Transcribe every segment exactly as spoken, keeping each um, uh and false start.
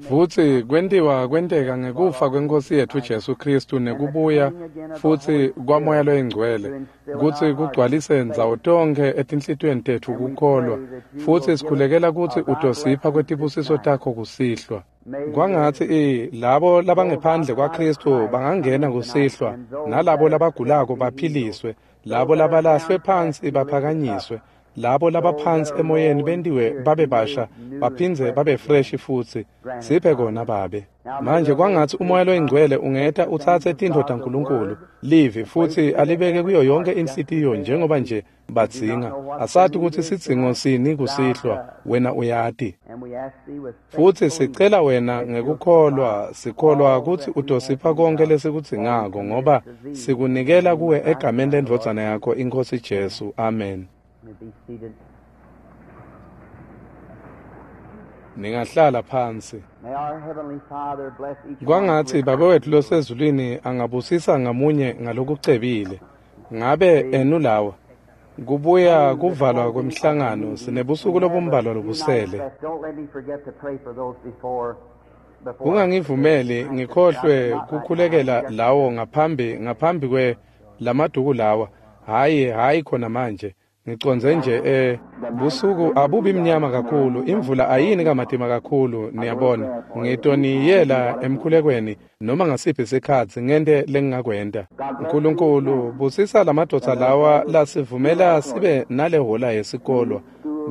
Futsi kwentiwa kwenteka ngekufa kweNkhosi yetfu Jesu Khristu nekubuya futsi kwaMoya loyiNgcwele kutsi kugcwalise ndzawo tonkhe etinhlitiyweni tetfu kukholwa, futsi sikhulekela kutsi utosipha kwetibusiso takho kusihlwa. Kwangatsi i labo labangephandle kwaKhristu bangangena kusihlwa, nalabo labagulako baphiliswe, labo labalahlwe phansi baphakanyiswe, labo labaphansi emoyeni bentiwe babe basha baphindze babe fresh futsi. Siphe kona Babe. Manje kwangatsi uMoya loyiNgcwele ungeta utsatse tintfo taNkulunkulu livi futsi alibeke kuyo yonke inhlitiyo njengoba nje badzinga. Asati kutsi sidzingo sini kusihlwa, wena uyati. Futsi sicela wena ngekukholwa, sikholwa kutsi utosipha konke lesikudzingako, ngoba sikunikela kuwe egameni lendvodzana yakho iNkhosi Jesu. Amen. Ningahlala phansi. Kwangatsi Babe wetfu losezulwini angabusisa ngamunye ngalokucebile. Ngabe enu lawa kubuya kuvalwa kwemhlangano, sinebusuku lobumbalwa lobusele. Ungangivumeli ngikhohlwe kukhulekela lawo ngaphambi ngaphambi kwe lamaduku lawa. Hayi hayi khona manje. Ngicondze nje eh busuku abubi mnyama kakhulu, imvula ayini kamatima kakhulu, niyabona. Ngitoniyela emkhulekweni noma ngasiphi sikhatsi ngente lengingakwenta. Nkulunkulu busisa lamadvodza lawa lasivumela sibe nale hola yesikolwa.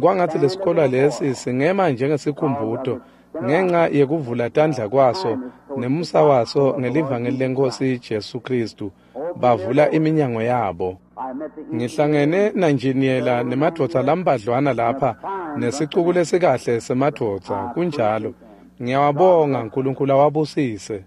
Kwangatsi lesikolwa lesi singema njengesikhumbuto ngenxa yekuvula tandla kwaso nemusa waso ngelivangeli leNkhosi Jesu Khristu. Bavula iminyango yabo. Ngihlangene nanjiniyela nemadvodza lambadlwana lapha nesicuku lesikahle semadvodza, kunjalo. Ngiyawabonga, Nkulunkulu awabusise.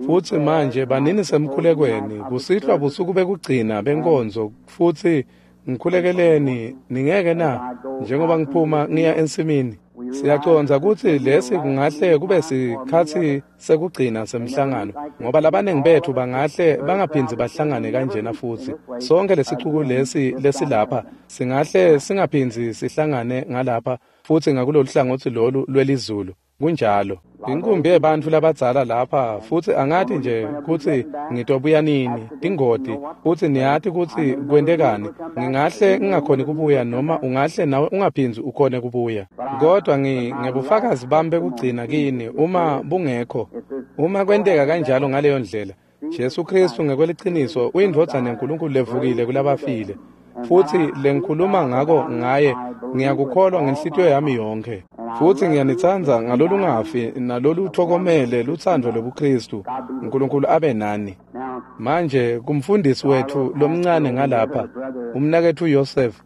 Futsi manje banini semkhulekweni kusihlwa busuku bekugcina benkonzo, futsi ngikhulekeleni ningeke na njengoba ngiphuma ngiya ensimini. Siyacondza kutsi lesi kungahle kube sikhatsi sekugcina semhlangano, ngoba labaningi betfu bangahle bangaphindzi bahlangane kanjena futsi. Sonke lesicuku lesi lesilapha singahle singaphindzi sihlangane ngalapha futsi ngakulolu hlangotsi lolu lwelizulu. Kunjalo. Inkumbi yebantfu labadzala lapha futsi angati nje kutsi ngitobuya nini, tingoti, futsi niyati kutsi kwentekani. Ngingahle ngingakhoni kubuya noma ungahle nawe ungaphindzi ukhone kubuya. Kodwa ngi ngebufakazi bami bekugcina kini uma bungekho. Uma kwenteka kanjalo ngaleyo ndlela, Jesu Khristu ngekweliciniso uyindvodzana yaNkulunkulu levukile kulabafile. Futsi lengikhuluma ngako ngaye ngiyakukholwa ngenhlitiyo yami yonke. Futsi ngiyanitsandza ngalolungafi naloluthokomele lutsandvo lobuKhristu. Nkulunkulu abe nani. Manje kumfundisi wetfu lomncane ngalapha, umnaketfu Joseph.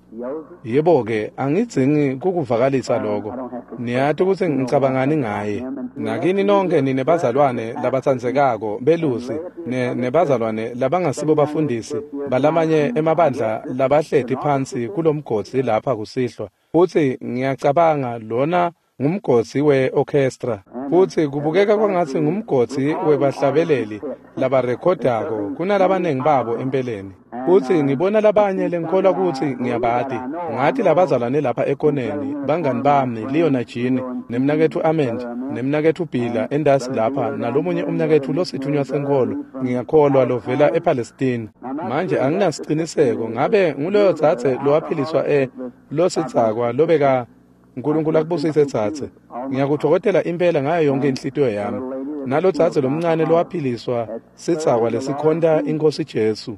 Yebo-ke, angidzingi kukuvakalisa loko. Niyati kutsi ngicabangani ngaye. Nakini nonke nine bazalwane labatsandzekako belusi ne nebazalwane labangasibo bafundisi balamanye emabandla labahleti phansi kulomgodzi lapha kusihlwa. Futsi ngiyacabanga lona ngumgodzi we-orchestra. Futsi kubukeka kwangatsi ngumgodzi webahlabeleli labarekhodako kunalabanengi babo empeleni. Futsi ngibona labanye lengikholwa kutsi ngiyabati. Ngathi labazalwane lapha ekoneni, bangani bami Leo na Jean, nemnaketfu Amend, nemnaketfu Bila endasi lapha, nalomunye umnaketfu losithunywa senkholo, ngiyakholwa lovela ePalestine. Manje anginasiciniseko ngabe nguloyo dzadze lowaphiliswa e losidzakwa lobeka. Nkulunkulu akubusise dzadze. Ngiyakuthokozela impela ngayo yonke inhlitiyo yami. Nalo dzadze lomncane lowaphiliswa sidzakwa lesikhonta iNkhosi Jesu.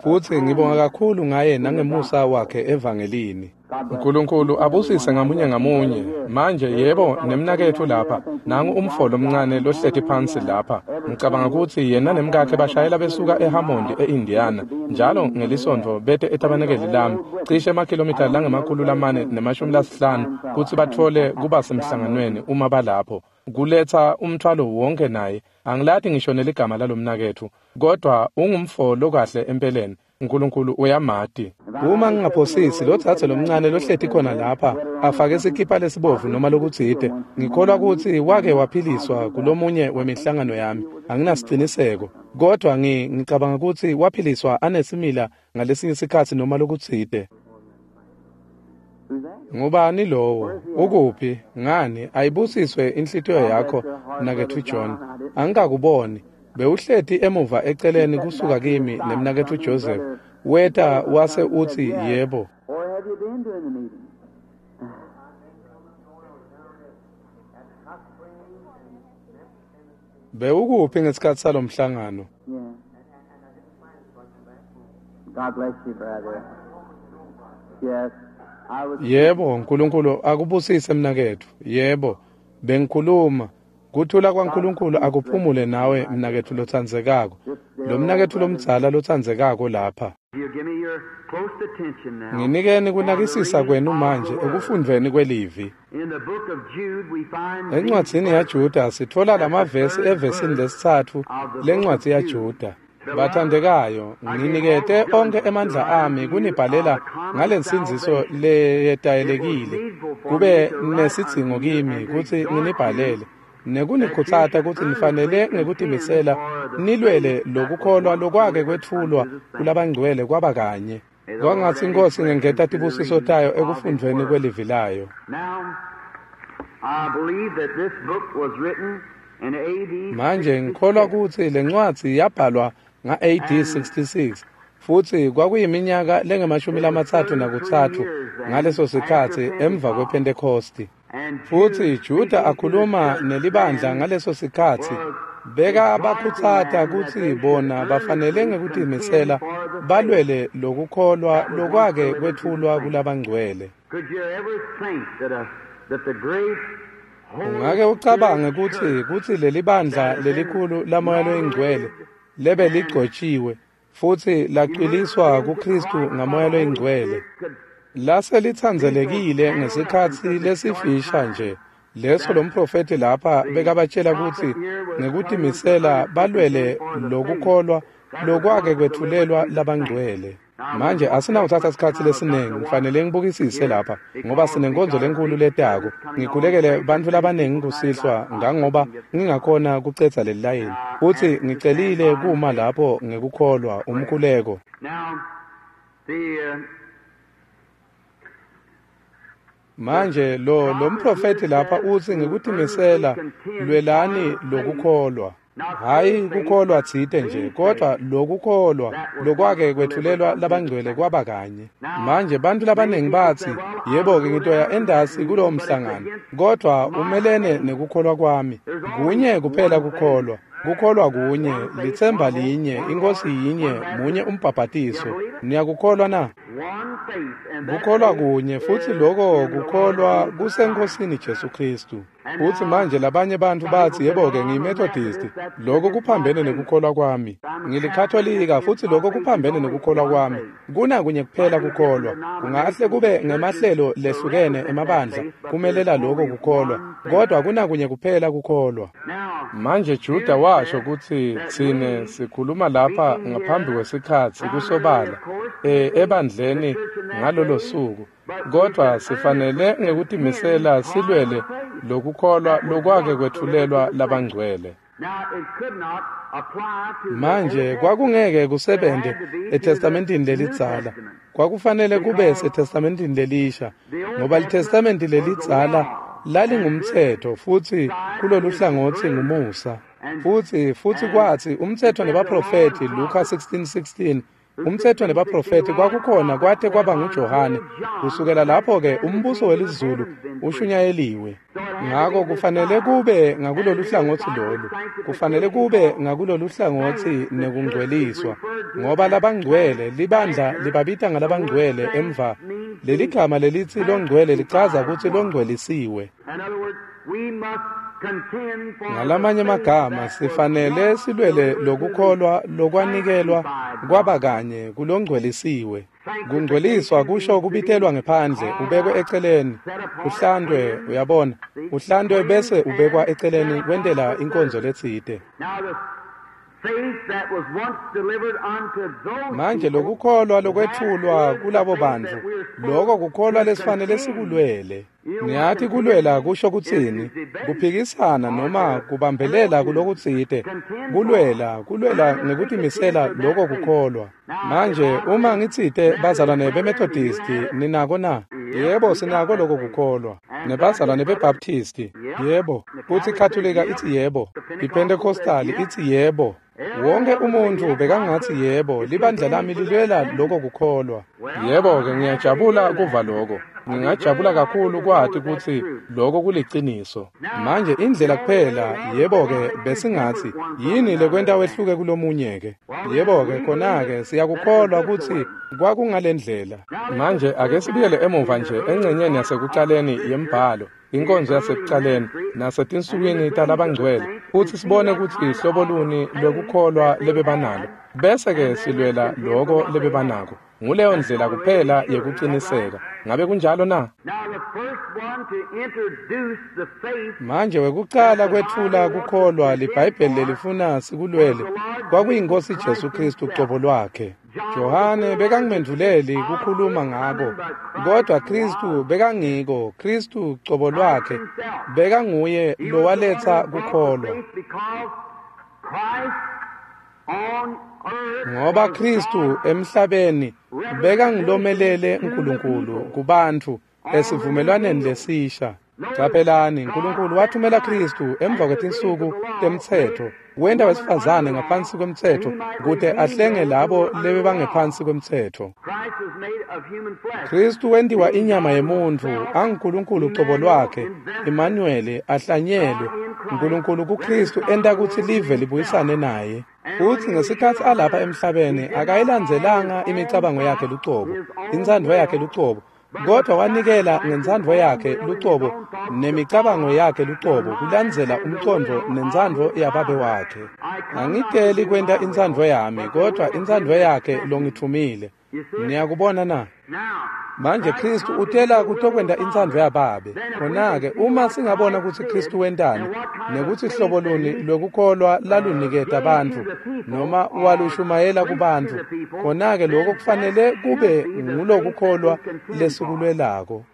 Futsi ngibonga kakhulu ngaye nangemusa wakhe evangelini. Nkulunkulu abusise ngamunye ngamunye. Manje yebo nemnaketfu lapha, nangu umfo lomncane lohleti phansi lapha. Ngicabanga kutsi yena nemkakhe bashayela besuka eHammond eIndiana njalo ngelisontfo bete etabanekeli lami cishe emakhilomitha langemakhulu lamane nemashumi lasihlanu kutsi batfole kuba semhlanganweni uma balapho. Kuletsa umthwalo wonke naye. Angilati ngisho neligama lalomnaketfu, kodwa ungumfo lokahle empeleni. Nkulunkulu uyamati. Uma ngingaphosisi lo dzadze lomncane lohleti khona lapha afake sikipa lesibovu noma lokutsite, ngikholwa kutsi wake waphiliswa kulomunye wemihlangano yami. Anginasiciniseko, kodwa ngi ngicabanga kutsi waphiliswa anesimila ngalesinye sikhatsi noma lokutsite. Ngubani lowo? Ukuphi? Ngani? Ayibusiswe inhlitiyo yakho, mnaketfu John. Angikakuboni. Bewuhleti emuva eceleni kusuka kimi nemnaketfu Joseph. Weta wase utsi yebo. Or have you been doing the meeting? Bewukuphi ngesikhatsi salomhlangano? Yeah. God bless you, brother. Yes. I was Yebo, uNkulunkulu akubusise mnaketfu. Yebo, bengikhuluma. Kuthula kwaNkulunkulu akuphumule nawe mnaketfu lotsandzekako. Lo mnaketfu lomdzala lotsandzekako lapha. You give me your close attention now. Nginikeni kunakisisa kwenu manje ekufundveni kwelivi. In the book of Jude we find Encwadzini yaJuda sitfola lamavesi evesini lesitsatfu lencwadzi yaJuda. Bathandekayo, nginikete onkhe emandla ami kunibhalela ngalensindziso leyetayelekile. Kube nesidzingo kimi kutsi nginibhalele nekunikhutsata kutsi nifanele ngekutimisela nilwele lokukholwa lokwake kwetfulwa kulabangcwele kwaba kanye. Kwangatsi iNkhosi ingengeta tibusiso tayo ekufundveni kwelivi layo. Now, I believe that this book was written in A D Manje ngikholwa kutsi lencwadzi yabhalwa nga-A D sixty-six futsi kwakuyiminyaka lengemashumi lamatsatfu nakutsatfu ngaleso sikhatsi emva kwePhentekhosti. Futsi Juda akhuluma nelibandla ngaleso sikhatsi beka abakhutsata kutsi bona bafanele ngekutimisela balwele lokukholwa lokwake kwetfulwa kulabangcwele. Could you ever think that a, that the great Ungake ucabange kutsi kutsi lelibandla lelikhulu laMoya loyiNgcwele lebe ligcotshiwe futsi lacwiliswa kuKristu ngaMoya loyiNgcwele lase lithandzelekile ngesikhatsi lesifisha nje leso lomprofeti lapha bekabatshela kutsi ngekutimisela balwele lokukholwa lokwake kwetfulelwa labangcwele. Manje asinawuthatha sikhatsi lesiningi, ngifanele ngibukisise lapha ngoba sinenkonzo lenkulu letako. Ngikhulekele bantfu labaningi kusihlwa ngangoba ngingakhona kucedza leli layini. Futsi ngicelile kuma lapho ngekukholwa umkhuleko. Now, the uh, Manje lo lo mprofeti lapha utsi ngekutimisela lwelani lokukholwa. Hayi kukholwa tsite nje, kodwa lokukholwa lokwake kwetfulelwa labangcwele kwaba kanye. Manje bantfu labaningi batsi, yebo-ke ngitoya endasi kulowo mhlangano, kodwa umelene nekukholwa kwami. Kunye kuphela kukholwa, kukholwa kunye, litsemba linye, iNkhosi yinye, munye umbhabhatiso. Niyakukholwa na? one faith, and that Kukholwa kunye futsi loko kukholwa kuseNkhosini Jesu Kristu. Futsi manje labanye bantfu batsi yebo-ke ngiyiMethodist, loko kuphambene nekukholwa kwami. Ngilikhatolika futsi loko kuphambene nekukholwa kwami. Kuna kunye kuphela kukholwa. Kungahle kube ngemahlelo lehlukene emabandla kumelela loko kukholwa, kodwa kuna kunye kuphela kukholwa. Now, Manje Juda washo kutsi tsine sikhuluma lapha ngaphambi kwesikhatsi kusobala e, ebandleni ngalolo suku, kodwa sifanele ngekutimisela silwele lokukholwa lokwake kwetfulelwa labangcwele. now it could not apply to the Manje Old kwakungeke kusebente eTestamentini lelidzala. Kwakufanele kube seTestamentini lelisha ngoba liTestamenti lelidzala lalingumtsetfo futsi kulolu hlangotsi ngumusa. Futsi futsi kwatsi umtsetfo nebaprofeti Luka sixteen sixteen umtsetfo nebaprofeti kwakukhona kwate kwaba nguJohane. Kusukela lapho-ke umbuso welizulu ushunyayeliwe. Ngako kufanele kube ngakulolu hlangotsi lolu, kufanele kube ngakulolu hlangotsi nekungcweliswa, ngoba labangcwele libandla libabita ngalabangcwele emva. Leli gama lelitsi longcwele lichaza kutsi longcwelisiwe. In other words, we must contend for Ngalamanye the faith amagama that was sifanele once silwele delivered to lokukholwa the lokwanikelwa sanctified kwaba kanye kulongcwelisiwe. Kungcweliswa kusho kubitelwa ngephandle, ubekwe eceleni, uhlandwe, uyabona, uhlandwe bese ubekwa eceleni kwentela inkonzo letsite. Now the faith that was once delivered unto those Manje people, lokukholwa lokwetfulwa that is the kulabo faith bantfu, that we're supposed loko kukholwa to lesifanele contend. sikulwele. You know what Niyati contend kulwela kusho is kutsini? to debate Kuphikisana or noma to kubambelela to kulokutsite. contend for. Kulwela, kulwela Earnestly contend ngekutimisela for that loko faith. kukholwa. Now, if Manje I uma say ngitsite bazalwane Methodist brethren, do you beMethodisti have it? ninako na? Yebo, sinako lokho kukholwa. Nebazalwane beBaptisti, yebo. Futhi iKatolika ithi yebo. IPentecostal ithi yebo. Wonke umuntu bekangathi yebo, libandla lami lilwela lokho kukholwa. Yebo-ke, ngiyajabula kuva lokho. Ngingajabula kakhulu kwathi ukuthi lokho kuliciniso. Manje indlela kuphela, yebo-ke, besingathi yini lekwenta wehluke kulomunye-ke? Yebo-ke, khona-ke siyakukholwa ukuthi kwakungalendlela. Manje ake sibuyele emuva nje engcenyeni yasekuqaleni yembhalo, inkonzo yasekuqaleni nasetinsukwini talabangcwele, futhi sibone ukuthi ihlobo luni lwekukholwa lebebanalo, bese-ke silwela loko lebebanako. Nguleyo ndlela kuphela yekuqiniseka. Ngabe kunjalo na? Manje wekuqala kwetfula kukholwa liBhayibheli lelifuna sikulwele kwakuyinkosi Jesu Kristu qobo lwakhe. Johane bekangimendvuleli kukhuluma ngako, kodwa Kristu bekangiko. Kristu qobo lwakhe bekanguye lowaletsa kukholwa. Ngoba Kristu emhlabeni bekangilomelele uNkulunkulu kubantfu esivumelwaneni lesisha. Caphelani, uNkulunkulu wathumela Kristu emva kwetinsuku temtsetfo, wenta wesifazane ngaphansi kwemtsetfo kute ahlenge labo lebebangephansi kwemtsetfo. Kristu wentiwa inyama yemuntfu, anguNkulunkulu cobo lwakhe, Emmanuel, ahlanyelwe. uNkulunkulu kuKristu enta kutsi live libuyisane naye. Futsi ngesikhatsi alapha emhlabeni akayilandzelanga imicabango yakhe lucobo, intsandvo yakhe lucobo, kodwa wanikela ngentsandvo yakhe lucobo nemicabango yakhe lucobo kulandzela umcondvo nentsandvo yababe wakhe. Angiteli kwenta intsandvo yami, kodwa intsandvo yakhe longitfumile. Niyakubona na? Manje Kristu utela kutokwenta intsandvo yababe. Khona-ke uma singabona ukuthi Kristu wentani nekuthi hlobo luni lwekukholwa laluniketa bantfu noma walushumayela kubantfu, khona-ke lokho kufanele kube ngulokukholwa lesikulwelako.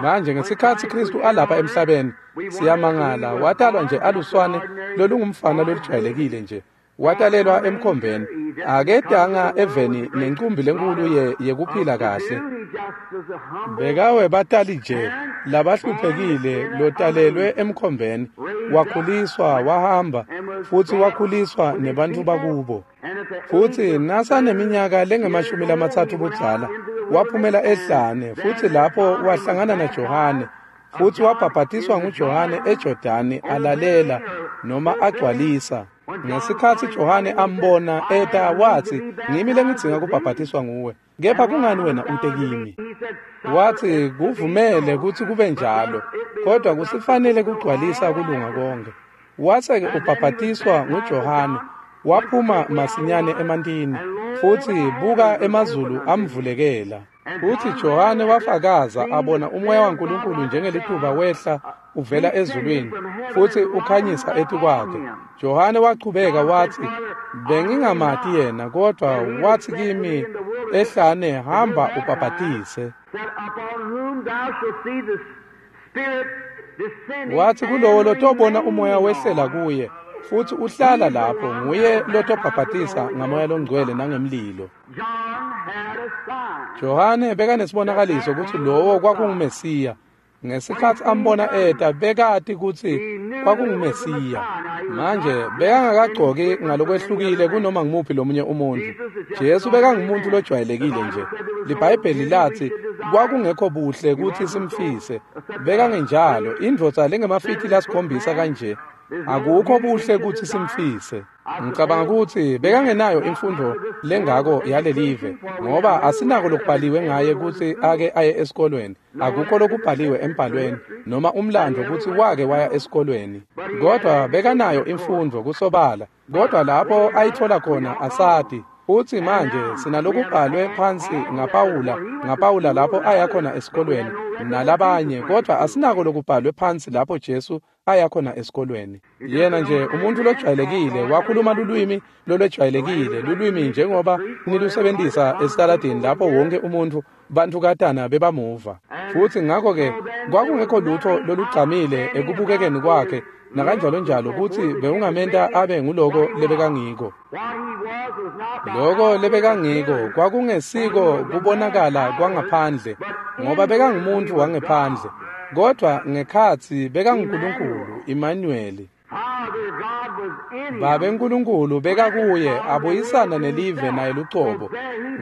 Manje ngesikhatsi Kristu alapha emhlabeni, siyamangala, watalwa nje aluswane lolungumfana lolujwayelekile nje. Watalelwa emkhombeni, akedanga eveni nencumbi lenkulu ye yekuphila kahle. Bekawe batali nje labahluphekile lotalelwe emkhombeni, wakhuliswa wahamba futhi wakhuliswa nebantfu bakubo. Futhi nasaneminyaka lengemashumi lamatsatfu budzala waphumela ehlane, futhi lapho wahlangana naJohane, futhi wabhabhatiswa nguJohane eJordani alalela noma agcwalisa. Ngesikhatsi Johane ambona eta wathi, ngimi lengidzinga kubhabhatiswa nguwe, kepha kungani wena ute kimi? Wathi, kuvumele kutsi kube njalo, kodwa kusifanele kugcwalisa kulunga konke. Wase-ke ubhabhatiswa nguJohane, waphuma masinyane emantini, futhi buka emazulu amvulekela. Futhi Johane wafakaza abona umoya waNkulunkulu njengelituba wehla uvela ezulwini futhi ukhanyisa etikwakhe. Johane wachubeka wathi, bengingamati yena, kodwa wathi kimi ehlane, hamba ubhabhatise. Wathi kulowo lotobona umoya wehlela kuye futhi uhlala lapho, nguye lotobhabhatisa ngamoya longcwele nangemlilo. Johane bekanesibonakaliso ukuthi lowo kwakunguMesiya. Ngesikhatsi ambona eta bekati kutsi kwakunguMesiya. Manje bekangakagcoki ngalokwehlukile kunoma ngumuphi lomunye umuntu. Jesu bekangumuntu lojwayelekile nje. LiBhayibheli lathi kwakungekho buhle kutsi simfise. Bekangenjalo, indvodza lengemafiti lasikhombisa kanje. Akukho buhle kutsi simfise. Ngicabanga ukuthi bekangenayo imfundo lengako yalelive, ngoba asinako lokubhaliwe ngaye kutsi ake aye esikolweni. Akukho lokubhaliwe embhalweni noma umlando kutsi wake waya esikolweni, kodwa bekanayo imfundo kusobala. Kodwa lapho ayithola khona asati. Futhi manje sinalokubhalwe phansi ngaPawula, ngaPawula lapho aya khona esikolweni nalabanye, kodwa asinako lokubhalwe phansi lapho Jesu aya khona esikolweni. Yena nje umuntu lojwayelekile wakhuluma lulwimi lolwejwayelekile, lulwimi njengoba nilusebenzisa esitaladini lapho wonke umuntu bantukatana bebamuva. Futhi ngakho-ke kwakungekho lutho lolugcamile ekubukekeni kwakhe nakanjalo njalo kutsi bewungamenta abe nguloko lebekangiko. Loko lebekangiko kwakungesiko kubonakala kwangaphandle, Ngoba bekangumuntu wangephandle, kodwa ngekhatsi bekanguNkulunkulu, Immanueli. Babe Nkulunkulu bekakuye abuyisana nelive naye lucobo.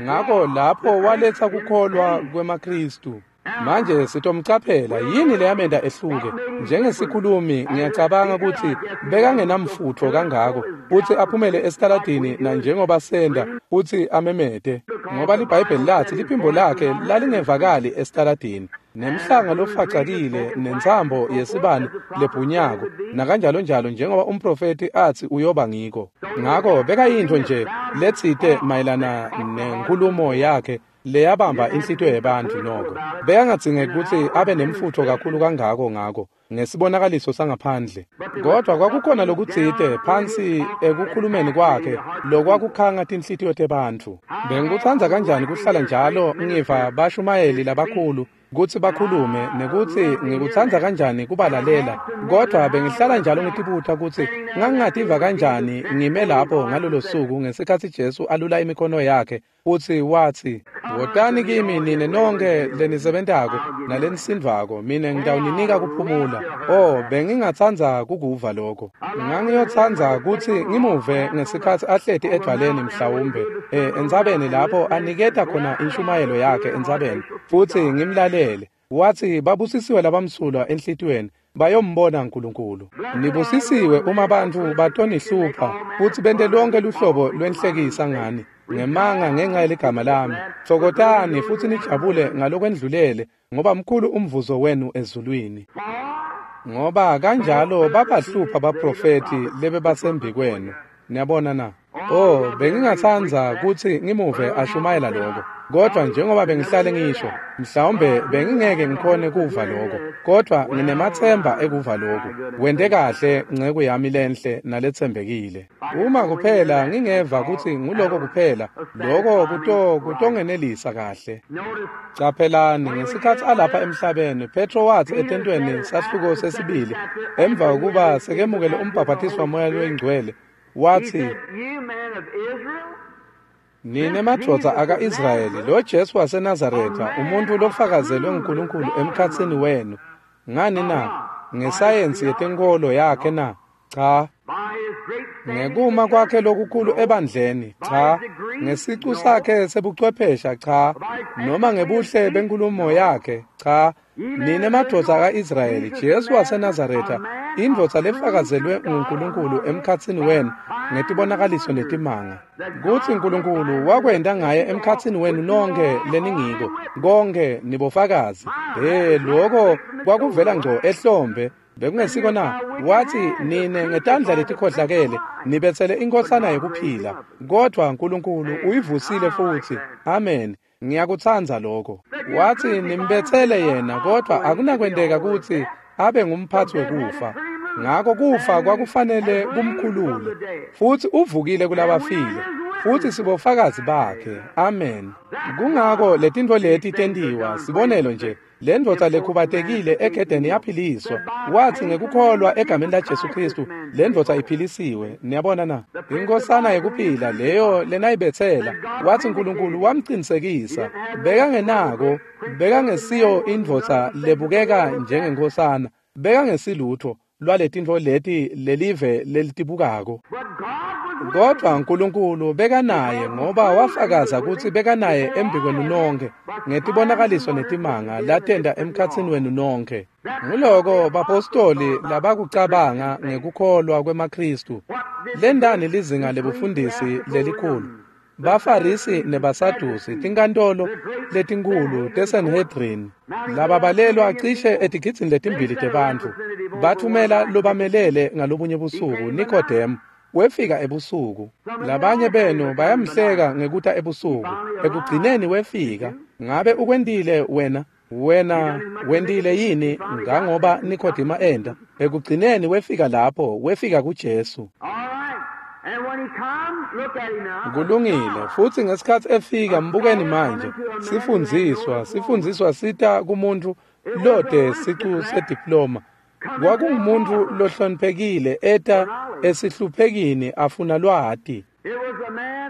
Ngako lapho waletsa kukholwa kwemaKhristu. Manje sitomcaphela yini leyamenta ehluke. Njengesikhulumi ngiyacabanga kutsi bekangenamfutfo kangako kutsi aphumele esitaladini na njengoba senda kutsi amemete, ngoba liBhayibheli latsi liphimbo lakhe lalingevakali esitaladini, nemhlanga lofacakile nentsambo yesibane lebhunyako nakanjalo njalo, njengoba umprofeti atsi uyoba ngiko. Ngako bekayintfo nje letsite mayelana nenkulumo yakhe leyabamba inhlitiyo yebantfu. Noko bekangadzingeki kutsi abe nemfutfo kakhulu kangako ngako ngesibonakaliso sangaphandle, kodwa kwakukhona lokutsite phansi ekukhulumeni kwakhe lokwakukhanga tinhlitiyo tebantfu. Bengikutsandza kanjani kuhlala njalo ngiva bashumayeli labakhulu kutsi bakhulume, nekutsi ngikutsandza kanjani kubalalela, kodwa bengihlala njalo ngitibuta kutsi ngangingativa kanjani ngime lapho ngalolo suku ngesikhatsi Jesu alula imikhono yakhe futsi watsi, "Wotani kimi nine nonkhe lenisebentako nalenisindvako, mine ngitawuninika kuphumula." Oh, bengingatsandza kukuva lokho. Ngangiyotsandza kutsi ngimuve ngesikhatsi ahleti edvwaleni mhlawumbe eh entsabeni lapho aniketa khona inshumayelo yakhe entsabeni, futsi ngimlalele. Watsi, "Babusisiwe labamsulwa enhlitiyweni, bayombona uNkulunkulu. Nibusisiwe uma bantfu batonihlupha futsi bente lonke luhlobo lwenhlekisa ngani ngemanga ngenxa yeligama lami. Tfokotani futsi nijabule ngalokwendlulele, ngoba mkhulu umvuzo wenu ezulwini. Ngoba kanjalo babahlupha baprofeti lebebasembikwenu." Niyabona na? Oh, bengingatsandza kutsi ngimuve ashumayela lokho, kodwa njengoba bengihlale ngisho, mhlawumbe bengingeke ngikhone kuva lokho, kodwa nginemathemba ekuva lokho. Wente kahle nceku yami lenhle naletsembekile. Uma kuphela ngingeva kutsi nguloko kuphela, lokho kuto kutongenelisa kahle. Caphelani, ngesikhatsi alapha emhlabeni, Petro watsi etentweni sahluko sesibili, emva kokuba sekemukele umbhaphathiso waMoya loyiNgcwele, watsi, "Nine madvodza aka-Israyeli, lo Jesu waseNazaretha, umuntfu lofakazelwe nguNkulunkulu emkhatsini wenu. Ngani na? Ngesayensi yetenkholo yakhe na? Cha. Ngekuma kwakhe lokukhulu ebandleni? Cha. Ngesicu sakhe sebuchwephesha? Cha. Noma ngebuhle benkulumo yakhe? Cha. Nine madvodza aka-Israyeli, Jesu waseNazaretha, indvodza lefakazelwe nguNkulunkulu emkhatsini wenu ngetibonakaliso netimanga, kutsi uNkulunkulu wakwenta ngaye emkhatsini wenu nonkhe leningiko, konke nibofakazi." He, lokho kwakuvela ngco ehlombe, bekungesiko na? Watsi, "Nine ngetandla letikhohlakele nibetsele inkhosana yekuphila, kodwa uNkulunkulu uyivusile futsi." Amen. Ngiyakutsandza lokho. Watsi, "Nimbetsele yena, kodwa akunakwenteka kutsi abe ngumphatsi wekufa. Ngako kufa kwakufanele kumkhulule, futsi uvukile kulabafile, futsi sibofakazi bakhe." Amen. Kungako letintfo leti tentiwa. Sibonelo nje, le ndvodza lekhubatekile egedeni yaphiliswa. Watsi ngekukholwa egameni laJesu Khristu, le ndvodza iphilisiwe. Niyabona na? Inkhosana yekuphila leyo lenayibetsela, watsi uNkulunkulu wamcinisekisa. Bekangenako, bekangesiyo indvodza lebukeka njengenkhosana, bekangesilutho lwaletintfo leti lelive lelitibukako. Kodwa uNkulunkulu bekanaye, ngoba wafakaza kutsi bekanaye embikwenu nonke ngetibonakaliso netimanga latenta emkhatsini wenu nonke. Nguloko bapostoli labakucabanga ngekukholwa kwemaKhristu. Lendani lizinga lebufundisi lelikhulu? Bafarisi nebaSadusi, tinkantolo letinkhulu teSanhedrin, lababalelwa cishe etigidzini letimbili tebantfu, bathumela lobamelele ngalobunye busuku, Nikodemu. Wefika ebusuku. Labanye benu bayamhleka ngekuta ebusuku. Ekugcineni wefika. Ngabe ukwentile wena? Wena wentile yini ngangoba Nikodema enda? Ekugcineni wefika lapho, wefika kuJesu. Kulungile, futsi ngesikhatsi efika, mbukeni manje. Sifundziswa, sifundziswa sita kumuntu lode sicu sediploma. Kwakungumuntu lohloniphekile eta esihluphekini afuna lwati.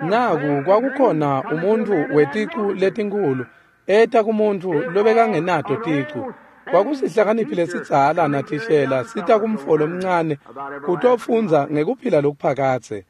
Naku kwakukhona umuntu weticu letinkhulu Eta kumuntfu lobekangenato ticu. Kwakusihlakaniphi lesidzala nathishela sita kumfo lomncane kutofundza ngekuphila lokuphakadze.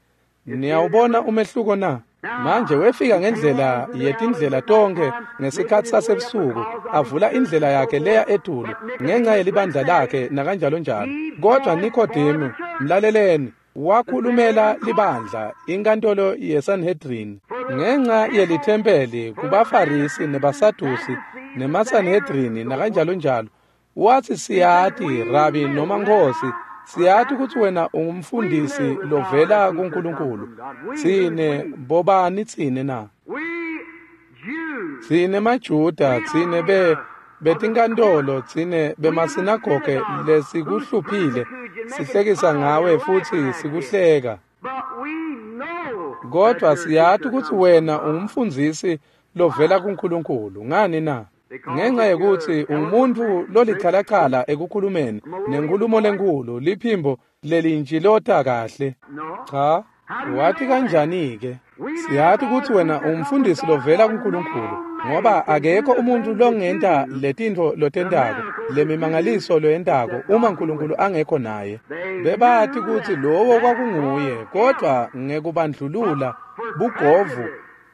Niyawubona umehluko na? Manje wefika ngendlela yetindlela tonkhe ngesikhatsi sasebusuku, avula indlela yakhe leya etulu ngenxa yelibandla lakhe nakanjalo njalo. Kodwa Nikodemu, mlaleleni, wakhulumela libandla inkantolo yeSanhedrin ngenxa yelithempeli kubaFarisi nebaSadusi nemaSanhedrini nakanjalo njalo. Wathi, siyati Rabi noma Nkosi, siyati kutsi wena ungumfundisi lovela kuNkulunkulu. Tsine bobani tsine na? Tsine maJuda, tsine be betinkantolo, tsine bemasinagoge lesikuhluphile, sihlekisa ngawe futsi sikuhleka. Kodwa siyati kutsi wena ungumfundzisi lovela kuNkulunkulu. Ngani na? Ngenxa yekutsi ungumuntfu lolichalachala ekukhulumeni nenkhulumo lenkhulu, liphimbo lelintjilota kahle. Cha, wati kanjani-ke? Siyati kutsi wena ungumfundisi lovela kuNkulunkulu, ngoba akekho umuntfu longenta letintfo lotentako, lemimangaliso loyentako, uma uNkulunkulu angekho naye. Bebati kutsi lowo kwakunguye, kodwa ngekubandlulula bugovu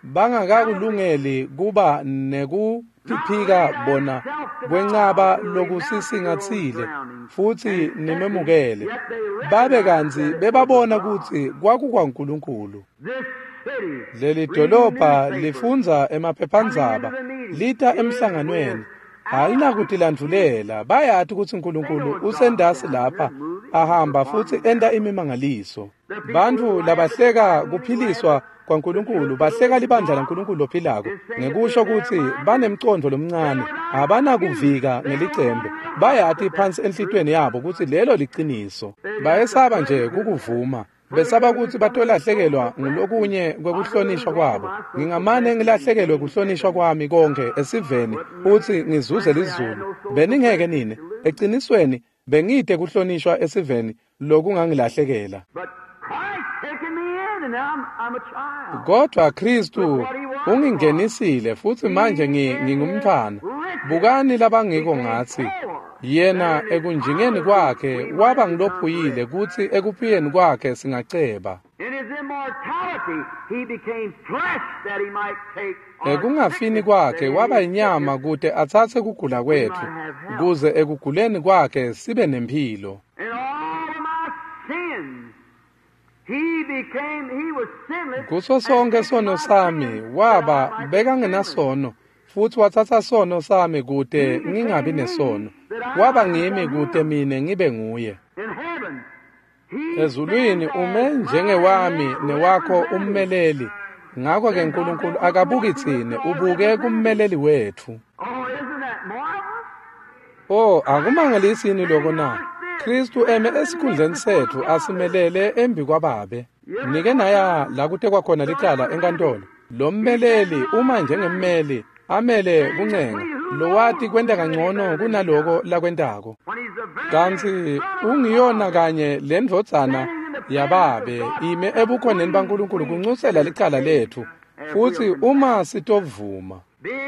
bangakakulungeli kuba nekutiphika bona kwencaba lokusisingatsile futsi nimemukele. Babe kantsi bebabona kutsi kwakukwaNkulunkulu. Leli dolobha lifundza emaphephandzaba, lita emhlanganweni, alinakutilandvulela. Bayati kutsi uNkulunkulu usendasi lapha ahamba futsi enta imimangaliso. Bantfu labahleka kuphiliswa kwaNkulunkulu bahleka libandla laNkulunkulu lophilako ngekusho kutsi banemcondvo lomncane, abanakuvika ngelicembe. Bayati phansi enhlitiyweni yabo kutsi lelo liciniso. Bayesaba nje kukuvuma, besaba kutsi batolahlekelwa ngulokunye kwekuhlonishwa kwabo. Ngingamane ngilahlekelwe kuhlonishwa kwami konkhe esiveni futsi ngizuze lizulu. Beningeke nine? Ecinisweni bengite kuhlonishwa esiveni lokungangilahlekela. Kodwa Kristu ungingenisile futsi manje ngingumntfwana. Bukani labangiko ngatsi. Yena ekunjingeni kwakhe waba ngilophuyile kutsi ekuphiyeni kwakhe singaceba. Ekungafini kwakhe waba inyama kute atsatse kugula kwetfu, kuze ekuguleni kwakhe sibe nemphilo. Kuso sonke sono sami waba bekangenasono, futsi watsatsa sono sami kute ngingabi nesono. Waba ngimi kute mine ngibe nguye. Ezulwini ume njengewami newakho ummeleli. Ngakho-ke uNkulunkulu akabuki tsine, ubuke kummeleli wetfu. Oh, akumangalisi yini loko na? Kristu eme esikhundleni setfu asimelele embi kwaBabe. Nike naya la kutekwa khona licala enkantolo. Lo mmeleli uma njengemmeli amele kuncenga, lowati kwenta kangcono kunaloko lakwentako. Kantsi ungiyona kanye lendvodzana yaBabe ime ebukhoneni baNkulunkulu kuncusela licala letfu, futsi uma sitovuma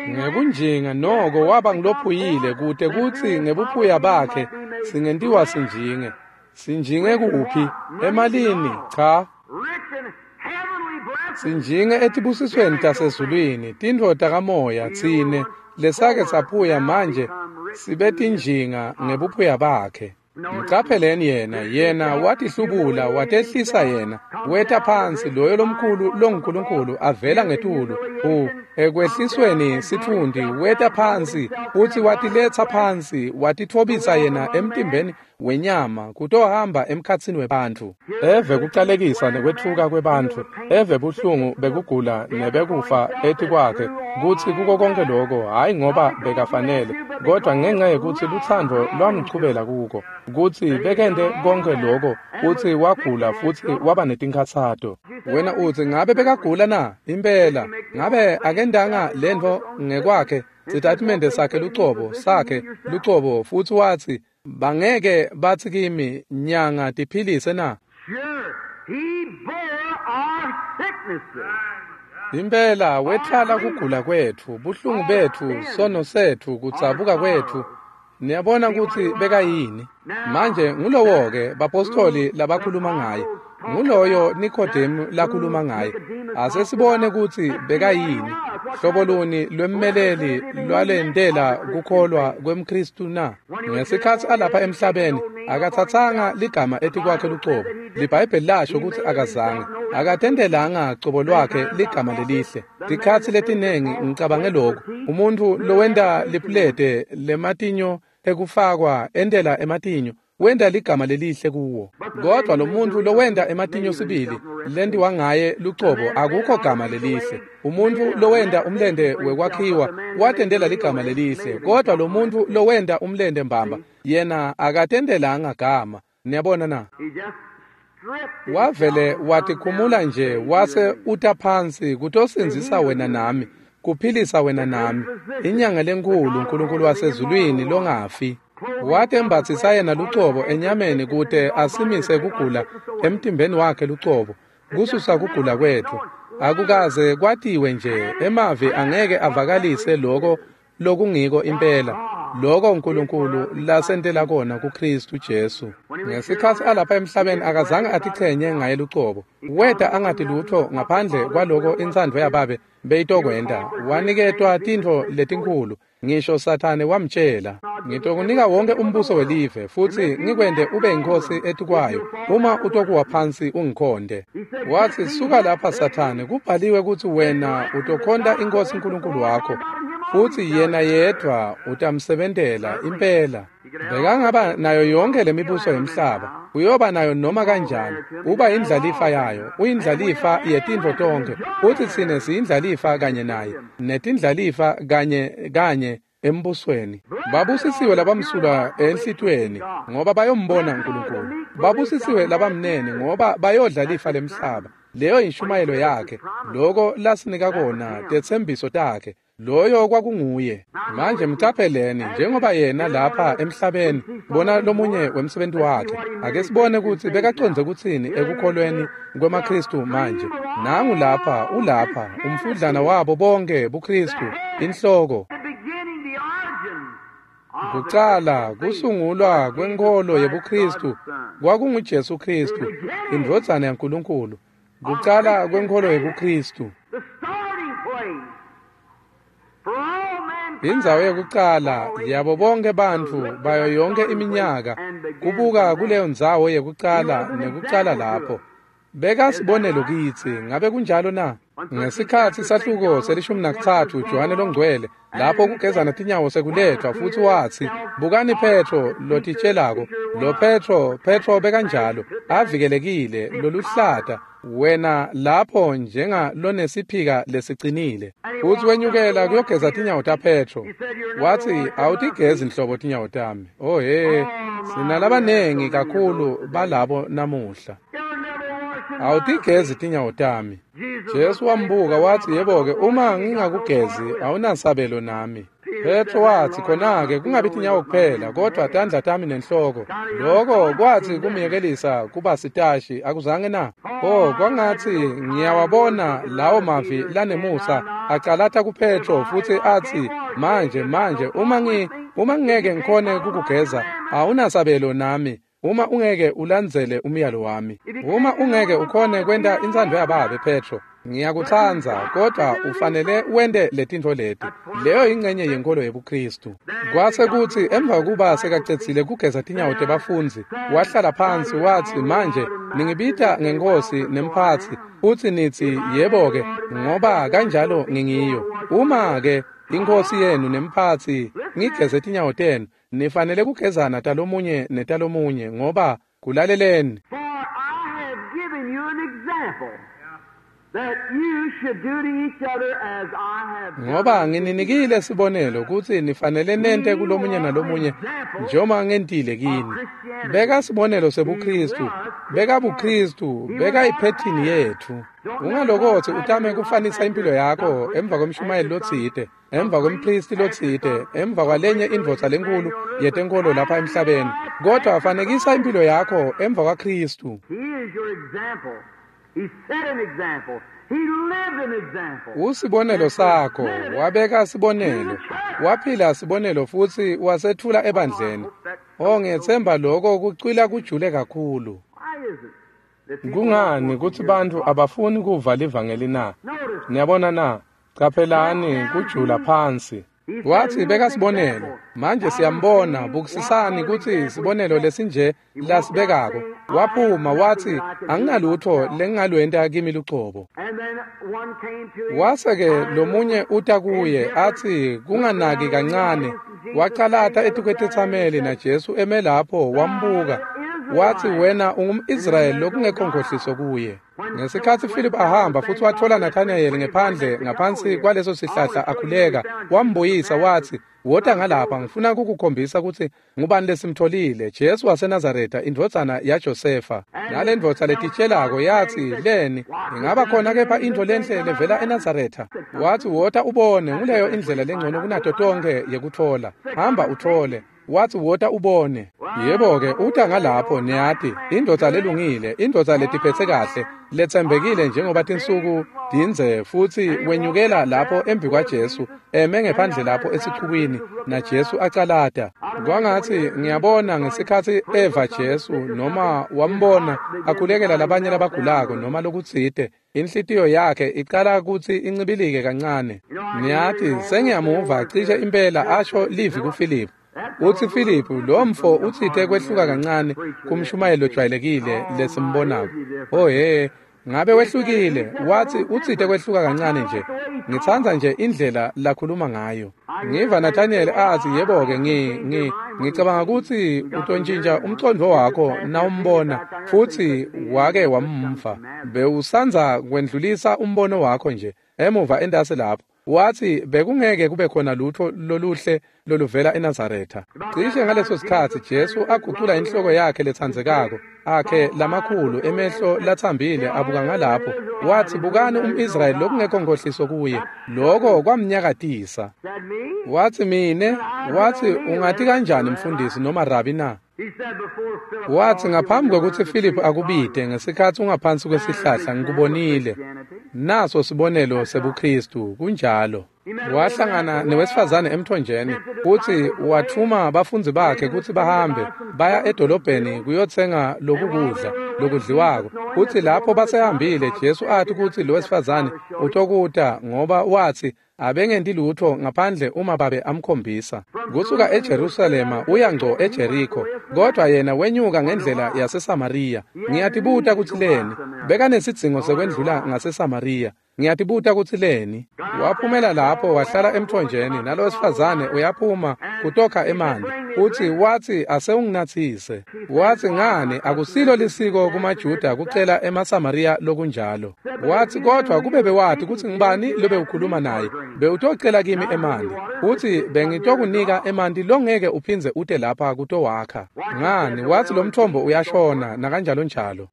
ngekunjinga noko waba ngilophuyile kute kutsi ngebuphuya bakhe singentiwa sinjinge. Sinjinge kuphi? Emalini? Cha. Sinjinge etibusisweni tasezulwini, tintfo takamoya, tsine lesake saphuya manje sibe tinjinga ngebuphuya bakhe. Mcapheleni yena, yena watihlubula, watehlisa yena, weta phansi loyo lomkhulu longuNkulunkulu avela ngetulu, u ekwehlisweni sitfundi weta phansi, futsi watiletsa phansi, watitfobisa yena emtimbeni wenyama kutohamba emkhatsini webantfu. Eve kucalekisa nekwetfuka kwebantfu, eve buhlungu bekugula nebekufa etikwakhe, kutsi kuko konke loko hhayi ngoba bekafanele, kodwa ngenxa yekutsi lutsandvo lwamchubela kuko, kutsi bekente konke loko, futsi wagula futsi waba netinkhatsato. Wena utsi, ngabe bekagula na? Impela. Ngabe akendanga lentfo ngekwakhe, sitatimende sakhe lucobo, sakhe lucobo, futsi watsi, bangeke batsi kimi, nyanga tiphilise na? Sure, he bore our sicknesses. Impela wetfwala kugula kwetfu, buhlungu betfu, sono setfu, kudzabuka kwetfu. Niyabona kutsi bekayini. Manje ngulowo-ke bapostoli labakhuluma ngaye. Nguloyo Nikodemu lakhuluma ngaye. Ase sibone kutsi bekayini. Hlobo luni lwemmeleli lwalentela kukholwa kwemKhristu na? Ngesikhatsi alapha emhlabeni akatsatsanga ligama etikwakhe lucobo. LiBhayibheli lasho kutsi akazange. Akatentelanga cobo lwakhe ligama lelihle. Tikhatsi letinengi ngicabange lokhu. Umuntu lowenta lipulete lematinyo ekufakwa entela ematinyo wenta ligama lelihle kuwo. Kodwa lo muntu lowenta ematinyo sibili lentiwa ngaye lucobo akukho gama lelihle. Umuntu lowenta umlente wekwakhiwa watentela ligama lelihle, kodwa lo muntu lowenta umlente mbamba yena akatentelanga gama. Niyabona na? Wavele watikhumula nje wase uta phansi kutosindzisa wena nami, kuphilisa wena nami. Inyanga lenkulu uNkulunkulu wasezulwini longafi watembatsisa yena lucobo enyameni kute asimise kugula emtimbeni wakhe lucobo, kususa kugula kwetfu. Akukaze kwatiwe nje, emavi angeke avakalise loko lokungiko impela, loko uNkulunkulu lasentela kona kuKhristu Jesu. Ngesikhatsi alapha emhlabeni akazange atichenye ngaye lucobo. Weta angati lutho ngaphandle kwaloko intsandvo yaBabe beyitokwenta. Waniketwa tintfo letinkhulu, ngisho Sathane wamtjela, ngitokunika wonke umbuso welive futsi ngikwente ube inkosi etikwayo uma utokuwa phansi ungikhonte. Watsi, suka lapha Sathane, kubhaliwe kutsi wena utokhonta inkosi uNkulunkulu wakho futsi yena yedvwa utamsebentela impela. Bekangaba nayo yonke lemibuso yemhlaba, uyoba nayo noma kanjani. Uba indlalifa yayo, uyindlalifa yetintfo tonkhe, futsi tsine siyindlalifa kanye naye, netindlalifa kanye kanye embusweni. Babusisiwe labamsulwa enhlitiyweni, ngoba bayombona uNkulunkulu. Babusisiwe labamnene, ngoba bayodla lifa lemhlaba. Leyo inshumayelo yakhe, loko lasinika kona, tetsembiso takhe. Loyo kwakunguye. Manje mcapheleni njengoba yena lapha emhlabeni, bona lomunye wemsebenzi wakhe. Ake sibone kutsi bekacondze kutsini ekukholweni kwemaKhristu manje. Nangu lapha, ulapha, umfudlana wabo bonke buKhristu, inhloko. Kucala kusungulwa kwenkholo yebuKhristu kwakunguJesu Khristu, indvodzana yaNkulunkulu. Kucala kwenkholo yebuKhristu. Indzawo yekucala yabo bonke bantfu bayo yonke iminyaka kubuka kuleyo ndzawo yekucala nekucala lapho. Beka sibonelo kitsi, ngabe kunjalo na? Ngesikhatsi sahluko selishumi nakutsatfu Johane Longcwele lapho kugezana tinyawo sekuletfwa futsi watsi, bukani Petro lotitshelako. Lo Petro, Petro bekanjalo, avikelekile, loluhlata, wena lapho njenga lonesiphika lesicinile. Futsi wenyukela kuyogeza tinyawo taPetro. Watsi, awutigezi nhlobo tinyawo tami. Oh he, sinalabanengi kakhulu balabo namuhla. Awutigezi tinyawo tami. Jesu wambuka watsi, yebo-ke, uma ngingakugezi awunasabelo nami. Petro watsi, khona-ke kungabi tinyawo kuphela, kodwa tandla tami nenhloko. Loko kwatsi kumyekelisa kuba sitashi, akuzange na? Oh, kwangatsi ngiyawabona lawo mavi lanemusa acalata kuPetro futsi atsi, manje manje uma ngi uma ngingeke ngikhone kukugeza awunasabelo nami. Uma ungeke ulandzele umyalo wami, uma ungeke ukhone kwenta intsandvo yaBabe, Petro, ngiyakutsandza, kodwa ufanele wente letintfo leti. Leyo ingcenye yenkolo yebuKhristu. Kwase kutsi emva kuba sekacedzile kugeza tinyawo tebafundzi, wahlala phansi watsi, manje ningibita ngenkosi nemphatsi, futsi nitsi yebo-ke, ngoba kanjalo ngingiyo. Uma-ke inkosi yenu nemphatsi ngigeze tinyawo tenu, nifanele kugezana talomunye netalomunye, ngoba kulaleleni. For I have given you an example that you should do to each other as I have done. Ngoba ngininikile sibonelo kutsi nifanele nente kulomunye nalomunye njengoba ngentile kini. Beka sibonelo sebuKhristu, beka buKhristu, beka iphethini yetfu. Ungalokotsi utame kufanisa impilo yakho emva kwemshumayeli lotsite, emva kwempristi lotsite, emva kwalenye indvodza lenkulu yetenkolo lapha emhlabeni, kodwa fanekisa impilo yakho emva kwaKhristu. He is your example. He set an example. Usibonelo sakho, wabeka sibonelo, waphila sibonelo futsi wasethula ebandleni. Oh, ngiyetsemba lokho kucwila kujule kakhulu. Kungani kutsi bantfu abafuni kuva livangeli na? Niyabona na? Caphelani kujula phansi. Wathi beka sibonelo. Manje siyambona, bukisisani kutsi sibonelo lesinje lasibekako. Waphuma wathi anginalutho lengingalwenta kimi lucobo. Wase-ke lomunye uta kuye athi kunganaki kancane, wacalata etikwetetsameli naJesu eme lapho wambuka. Wathi wena ungumIsrayeli lokungekho nkhohliso kuye. Ngesikhatsi Philip ahamba futsi watfola Nathanael ngephandle ngaphansi kwaleso sihlahla akhuleka, wambuyisa wathi wota ngalapha ngifuna kukukhombisa kutsi ngubani lesimtholile, Jesu waseNazaretha indvodzana yaJosefa. Nale ndvodza letitshelako yathi leni ingaba khona kepha intfo lenhle levela eNazaretha? Wathi wota ubone, nguleyo indlela lengcono kunato tonkhe yekutfola, hamba uthole. Wathi wota ubone. Yebo-ke uta ngalapho niyati, indvodza lelungile, indvodza letiphethe kahle, letsembekile njengoba tinsuku tindze, futsi wenyukela lapho embi kwaJesu, eme ngephandle lapho esichukwini naJesu acalata. Kwangatsi ngiyabona ngesikhatsi eva Jesu noma wambona akhulekela labanye labagulako noma lokutsite, inhlitiyo yakhe icala kutsi incibilike kancane. Niyati sengiyamuva cishe impela asho livi kuFiliphu. Uthi Philip lo mfo utsite kwehluka kancane kumshumayelo lojwayelekile lesimbonako. Oh he, ngabe wehlukile? Wathi utsite kwehluka kancane nje. Ngitsandza nje indlela lakhuluma ngayo. Ngiva Nathaniel athi yebo-ke ngi ngi ngicabanga kutsi utontshintsha umcondvo wakho nawumbona futsi wake wamva. Bewusandza kwendlulisa umbono wakho nje emuva entasi lapho. Wathi bekungeke kube khona lutho loluhle loluvela eNazaretha. Cishe ngaleso sikhatsi Jesu agucula inhloko yakhe letsandzekako, akhe lamakhulu emehlo latsambile abuka ngalapho. Wathi bukani umIsrayeli lokungekho nkhohliso kuye. Lokho kwamnyakatisa. Wathi mine, wathi ungati kanjani mfundisi noma rabi na? Wathi ngaphambi kwekutsi Philip akubite ngesikhatsi ungaphansi kwesihlahla ngikubonile. Naso sibonelo sebuKristu kunjalo. Wahlangana newesifazane emthonjeni futsi wathuma bafundzi bakhe kutsi bahambe baya edolobheni kuyotsenga lokukudla lokudliwako. Futsi lapho basehambile Jesu athi kutsi lo wesifazane utokuta ngoba wathi abengenti lutho ngaphandle uma babe amkhombisa. Kusuka eJerusalema uya ngco eJeriko, kodwa yena wenyuka ngendlela yaseSamariya. Ngiyatibuta kutsi leni bekanesidzingo sekwendlula ngaseSamariya. Ngiyatibuta kutsi leni. Waphumela lapho wahlala emthonjeni, nalo wesifazane uyaphuma kutokha emanti. Uthi wathi asewunginathise. Wathi ngani akusilo lisiko kumaJuda kucela emaSamariya lokunjalo. Wathi kodwa kube bewati kutsi ngibani lobe ukhuluma naye, bewutocela kimi emanti. Uthi bengitokunika emanti longeke uphindze ute lapha kutowakha. Ngani wathi lo mthombo uyashona nakanjalo njalo.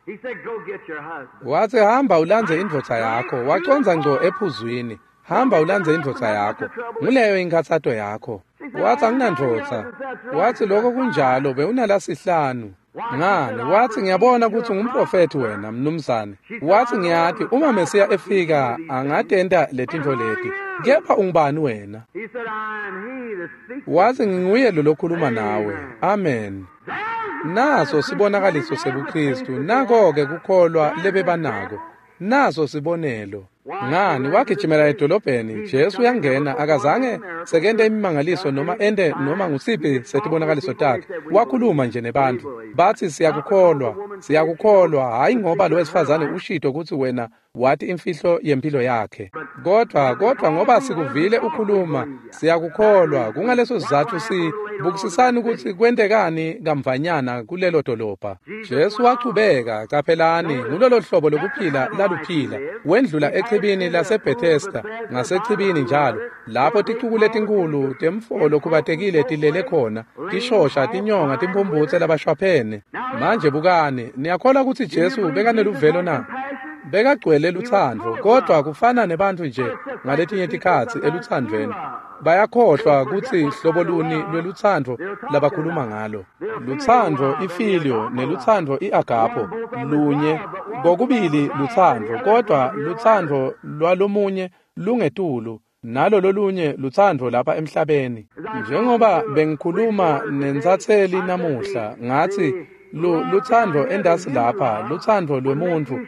Wathi hamba ulandze indvodza yakho. Wacondza ngco ephuzwini. Hamba ulandze indvodza yakho. Nguleyo inkhatsato yakho. Wathi anginandvodza. Wathi lokho kunjalo bewunalasihlanu. Ngani wathi ngiyabona kutsi ungumprofethi wena mnumzane. Wathi ngiyati uma Mesiya efika angatenta letintfo leti. Kepha ungubani wena? Wathi nginguye lo lokhuluma nawe. Amen. Naso sibonakaliso sebuKristu, nako-ke kukholwa lebebanako. Naso sibonelo. Ngani wagijimela edolobheni, Jesu uyangena, akazange sekente imimangaliso noma ente noma ngusiphi setibonakaliso takhe. Wakhuluma nje nebantfu. Bathi siyakukholwa, siyakukholwa, hayi ngoba lo wesifazane ushito kutsi wena wathi imfihlo yempilo yakhe. Kodwa kodwa ngoba sikuvile ukhuluma, siyakukholwa. Kungaleso sizatfu si bukisisani kutsi kwentekani kamvanyana kulelo dolobha. Jesu wachubeka, caphelani, ngulolo hlobo lokuphila laluphila. Wendlula echibini laseBethesda, ngasechibini njalo, lapho ticuku letinkulu temfolo kubatekile tilele khona, tishosha, tinyonga, timphumbutse labashwaphene. Manje bukani, niyakholwa kutsi Jesu bekaneluvelo na? Bekagcwele lutsandvo, kodwa kufana nebantfu nje ngaletinye tikhatsi elutsandvweni. Bayakhohlwa kutsi hlobo luni lwelutsandvo labakhuluma ngalo. Lutsandvo ifilio nelutsandvo iagapho lunye, kokubili lutsandvo, kodwa lutsandvo lwalomunye lungetulu nalo lolunye lutsandvo lapha emhlabeni. Njengoba bengikhuluma nentsatseli namuhla, ngatsi lutsandvo endasi lapha, lutsandvo lwemuntfu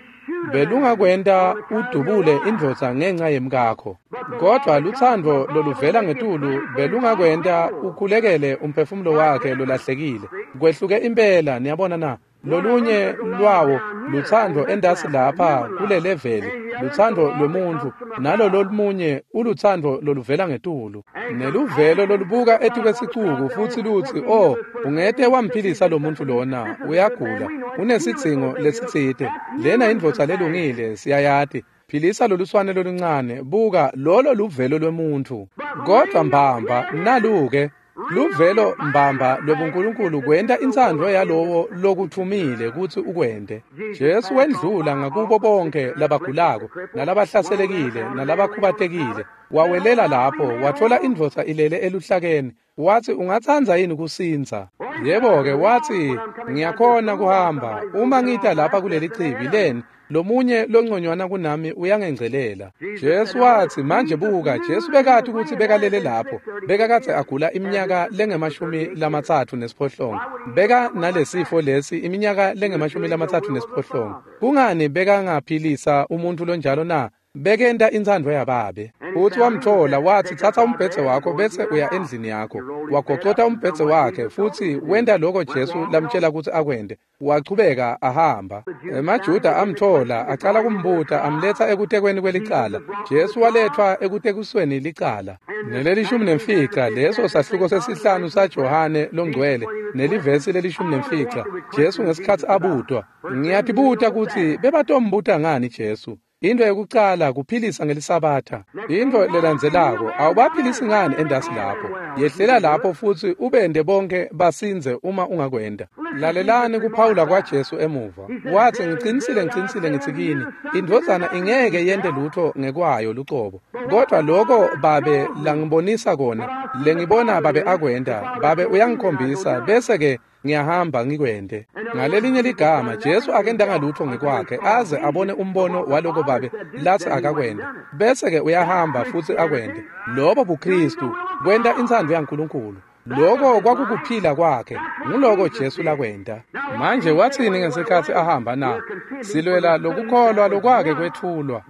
belungakwenta udubule indvodza ngenxa yemkakho, kodwa lutsandvo loluvela ngetulu belungakwenta ukhulekele umphefumulo wakhe lolahlekile. Kwehluke impela, niyabona na? Lolunye lwawo lutsandvo endasi lapha kule leveli, lutsandvo lwemuntfu, nalo lolumunye ulutsandvo loluvela ngetulu. Neluvelo lolubuka etikwesicuku futsi lutsi, oh, ungete wamphilisa lo muntfu lona, uyagula, unesidzingo lesitsite, lena indvodza lelungile, siyayati. Philisa loluswane loluncane, buka lolo luvelo lwemuntfu. Kodwa mbamba naluke luvelo mbamba lwebuNkulunkulu kwenta intsandvo yalowo lokuthumile kutsi ukwente. Jesu wendlula ngakubo bonke labagulako nalabahlaselekile nalabakhubatekile. Wawelela lapho, watfola indvodza ilele eluhlakeni. Watsi, ungatsandza yini kusindza? Yebo-ke, watsi, ngiyakhona kuhamba. Uma ngita lapha kuleli chibi leni, lomunye longconywana kunami uyangengcelela. Jesu watsi, manje buka, Jesu bekati kutsi bekalele lapho. Bekakadze agula iminyaka lengemashumi lamatsatfu nesiphohlongo. Beka nalesifo lesi iminyaka lengemashumi lamatsatfu nesiphohlongo. Kungani bekangaphilisa umuntu lonjalo na? Bekenta intsandvo yababe. Futsi wamtfola, watsi, tsatsa umbhedze wakho bese uya endlini yakho. Wagocota umbhedze wakhe futsi wenta loko Jesu lamtjela kutsi akwente. Wachubeka ahamba. EmaJuda amtfola, acala kumbuta, amletsa ekutekweni kwelicala. Jesu waletfwa ekutekusweni licala. Nelelishumi nemfica, leso sahluko sesihlanu saJohane longcwele, nelivesi lelishumi nemfica. Jesu ngesikhatsi abutwa, ngiyatibuta kutsi bebatombuta ngani Jesu? Into yokucala kuphilisa ngelisabatha. Into lelandzelako, awubaphilisi ngani endasi lapho? Yehlela lapho futsi ubende bonke basindze uma ungakwenda. Lalelani kuphawula kwaJesu emuva. Watsi, ngicinisile ngicinisile ngitsi kini, indvodzana ingeke yente lutho ngekwayo lucobo. Kodwa loko babe langibonisa kona, lengibona babe akwenta, babe uyangikhombisa, bese ke ngiyahamba ngikwente. Ngalelinye ligama, Jesu akendanga lutho ngekwakhe aze abone umbono waloko babe latsi akakwente, bese ke uyahamba futsi akwente. Lobo buKristu, kwenta intsandvo yaNkulunkulu. Loko kwakukuphila kwakhe, nguloko Jesu lakwenta. Manje watsini ngesikhatsi ahamba na? Silwela lokukholwa lokwake kwetfulwa.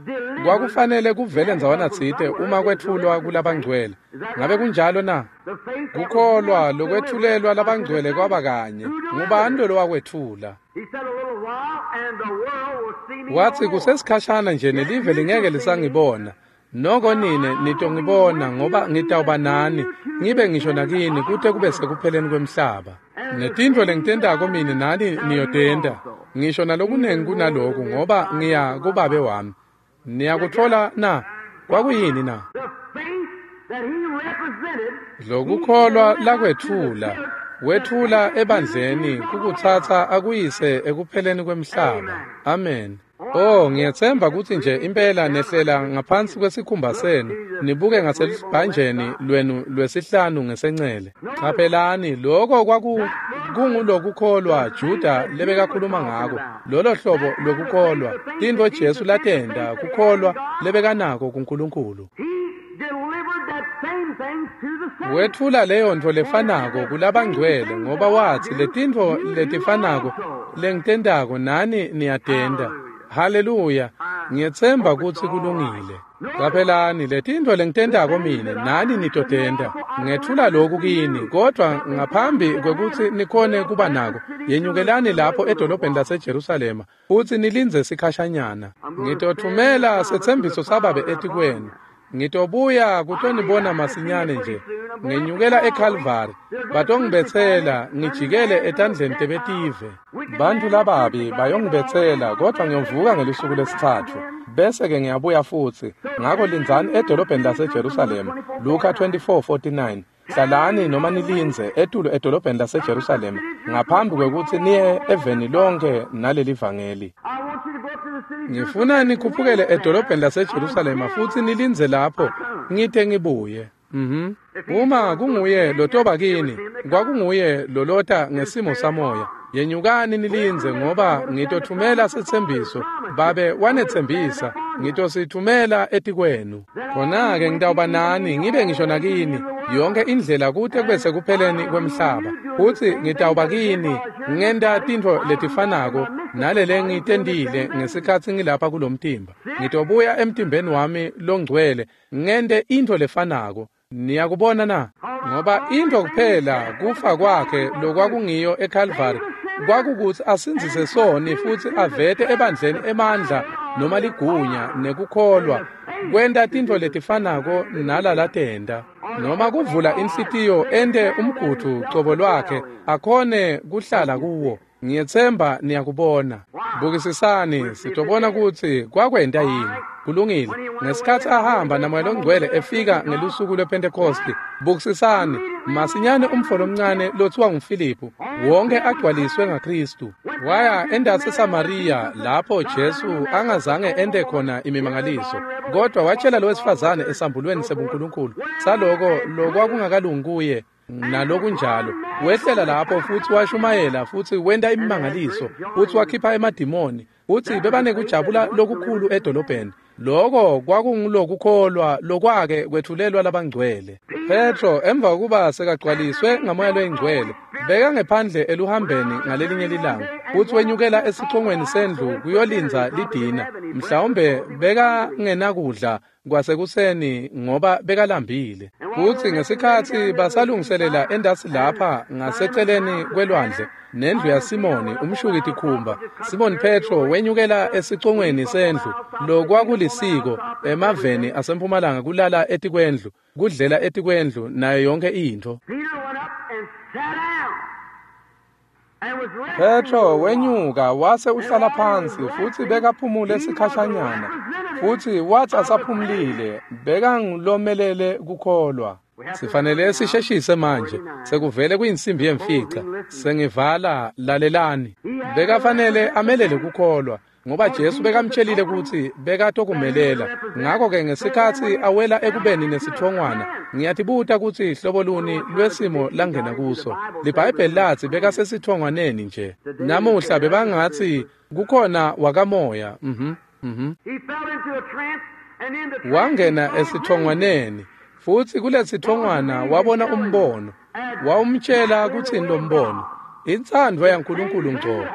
Kwakufanele kuvele ndzawana tsite uma kwetfulwa kulabangcwele. Ngabe kunjalo na? Kukholwa lokwetfulelwa labangcwele kwaba kanye. Ngubani lo wakwetfula? Watsi, kusesikhashana nje nelive lingeke lisangibona. Noko nine nitongibona, ngoba ngitawuba nani, ngibe ngisho nakini kute kube sekupheleni kwemhlaba. Netintfo lengitentako mine nani niyotenta, ngisho nalokunengi kunaloku, ngoba ngiya kubabe wami. Niyakutfola na? Kwakuyini na? Lokukholwa lakwetfula, wetfula ebandleni kukutsatsa akuyise ekupheleni kwemhlaba. Amen. Oh, ngiyetsemba kutsi nje impela nehlela ngaphansi kwesikhumba senu, nibuke ngaselubhanjeni lwenu lwesihlanu ngesencele. Caphelani, loko kwaku kungulokukholwa Juda lebekakhuluma ngako, lolo hlobo lokukholwa, tintfo Jesu latenta, kukholwa lebekanako kuNkulunkulu. Wetfula leyo ntfo lefanako kulabangcwele, ngoba watsi letintfo letifanako lengitentako nani niyatenta. Haleluya, ngiyetsemba kutsi kulungile. Caphelani, letintfo lengitentako mine nani nitotenta. Ngetfula loku kini, kodwa ngaphambi kwekutsi nikhone kuba nako, yenyukelani lapho edolobheni laseJerusalema futsi nilindze sikhashanyana. Ngitotfumela setsembiso sababe etikwenu. Ngitobuya kutonibona masinyane nje. Ngenyukela eKalvari, batongibetsela, ngijikele etandleni tebetive. Bantu lababi bayongibetsela, kodwa ngiyovuka ngelusuku lesitsatfu. Bese ke ngiyabuya futsi. Ngako lindzani edolobheni laseJerusalema. Luka twenty-four forty-nine. Hlalani noma nilindze etulu edolobheni laseJerusalema ngaphambi kwekutsi niye eveni lonke naleli vangeli. Ngifuna nikhuphukele edolobheni laseJerusalema futsi nilindze lapho ngite ngibuye. Mhm. Uma kunguye lotoba kini, kwakunguye lolota ngesimo samoya. Yenyukani nilindze ngoba ngitothumela setsembiso. Babe wanetsembisa, ngitosithumela etikwenu. Khona-ke ngitawuba nani, ngibe ngisho nakini yonke indlela kute kube sekupheleni kwemhlaba. Futsi ngitawuba kini ngenta tintfo letifanako nalele ngitentile ngesikhatsi ngilapha kulomtimba. Ngitobuya emtimbeni wami longcwele ngente intfo lefanako. Niyakubona na? Ngoba intfo kuphela kufa kwakhe lokwakungiyo eCalvary kwakukutsi asindzise soni futsi avete ebandleni emandla noma ligunya nekukholwa kwenta tintfo letifanako nalalatenta noma kuvula inhlitiyo ente umgudvu cobo lwakhe akhone kuhlala kuwo. Ngiyetsemba niyakubona. Bukisisani sitobona kutsi kwakwenta yini. Kulungile. Ngesikhatsi ahamba naMoya loNgcwele efika ngelusuku lwePhentekosti, bukisisani masinyane umfo lomncane lothiwa nguFiliphu wonke agcwaliswe ngaKristu waya endasi eSamariya lapho Jesu angazange ente khona imimangaliso, kodwa watshela lo wesifazane esambulweni sebuNkulunkulu saloko lokwakungakalungi kuye nalokunjalo. Wehlela lapho futsi washumayela futsi wenta imimangaliso futsi wakhipha emadimoni futsi bebanekujabula lokukhulu edolobheni. Loko kwakungulokukholwa lokwake kwethulelwa labangcwele. Petro emva kokuba sekagcwaliswe ngaMoya loyiNgcwele bekangephandle eluhambeni ngalelinye lilanga futsi wenyukela esicongweni sendlu kuyolindza lidina. Mhlawumbe bekangenakudla kwasekuseni ngoba bekalambile. Futsi ngesikhatsi basalungiselela endasi lapha ngaseceleni kwelwandle nendlu yaSimoni umshuki tikhumba, Simon Petro wenyukela esicongweni sendlu lokwakulisiko emaveni asempumalanga kulala etikwendlu, kudlela etikwendlu nayo yonke intfo. Petro wenyuka wase uhlala phansi futsi bekaphumule sikhashanyana futsi wathi asaphumulile bekangulomelele kukholwa. Sifanele sisheshise manje, sekuvele kuyinsimbi yemfica. Sengivala, lalelani. Bekafanele amelele kukholwa ngoba Jesu bekamtshelile kutsi bekatokumelela. Ngakho-ke ngesikhatsi awela ekubeni nesithongwana, ngiyatibuta kutsi hlobo luni lwesimo langena kuso. LiBhayibheli latsi bekasesithongwaneni nje. Namuhla bebangatsi kukhona wakamoya. Mhm. Mhm. Wangena esithongwaneni futsi kulesithongwana wabona umbono. Wawumtshela kutsini lo mbono? Intsandvo yaNkulunkulu ngco.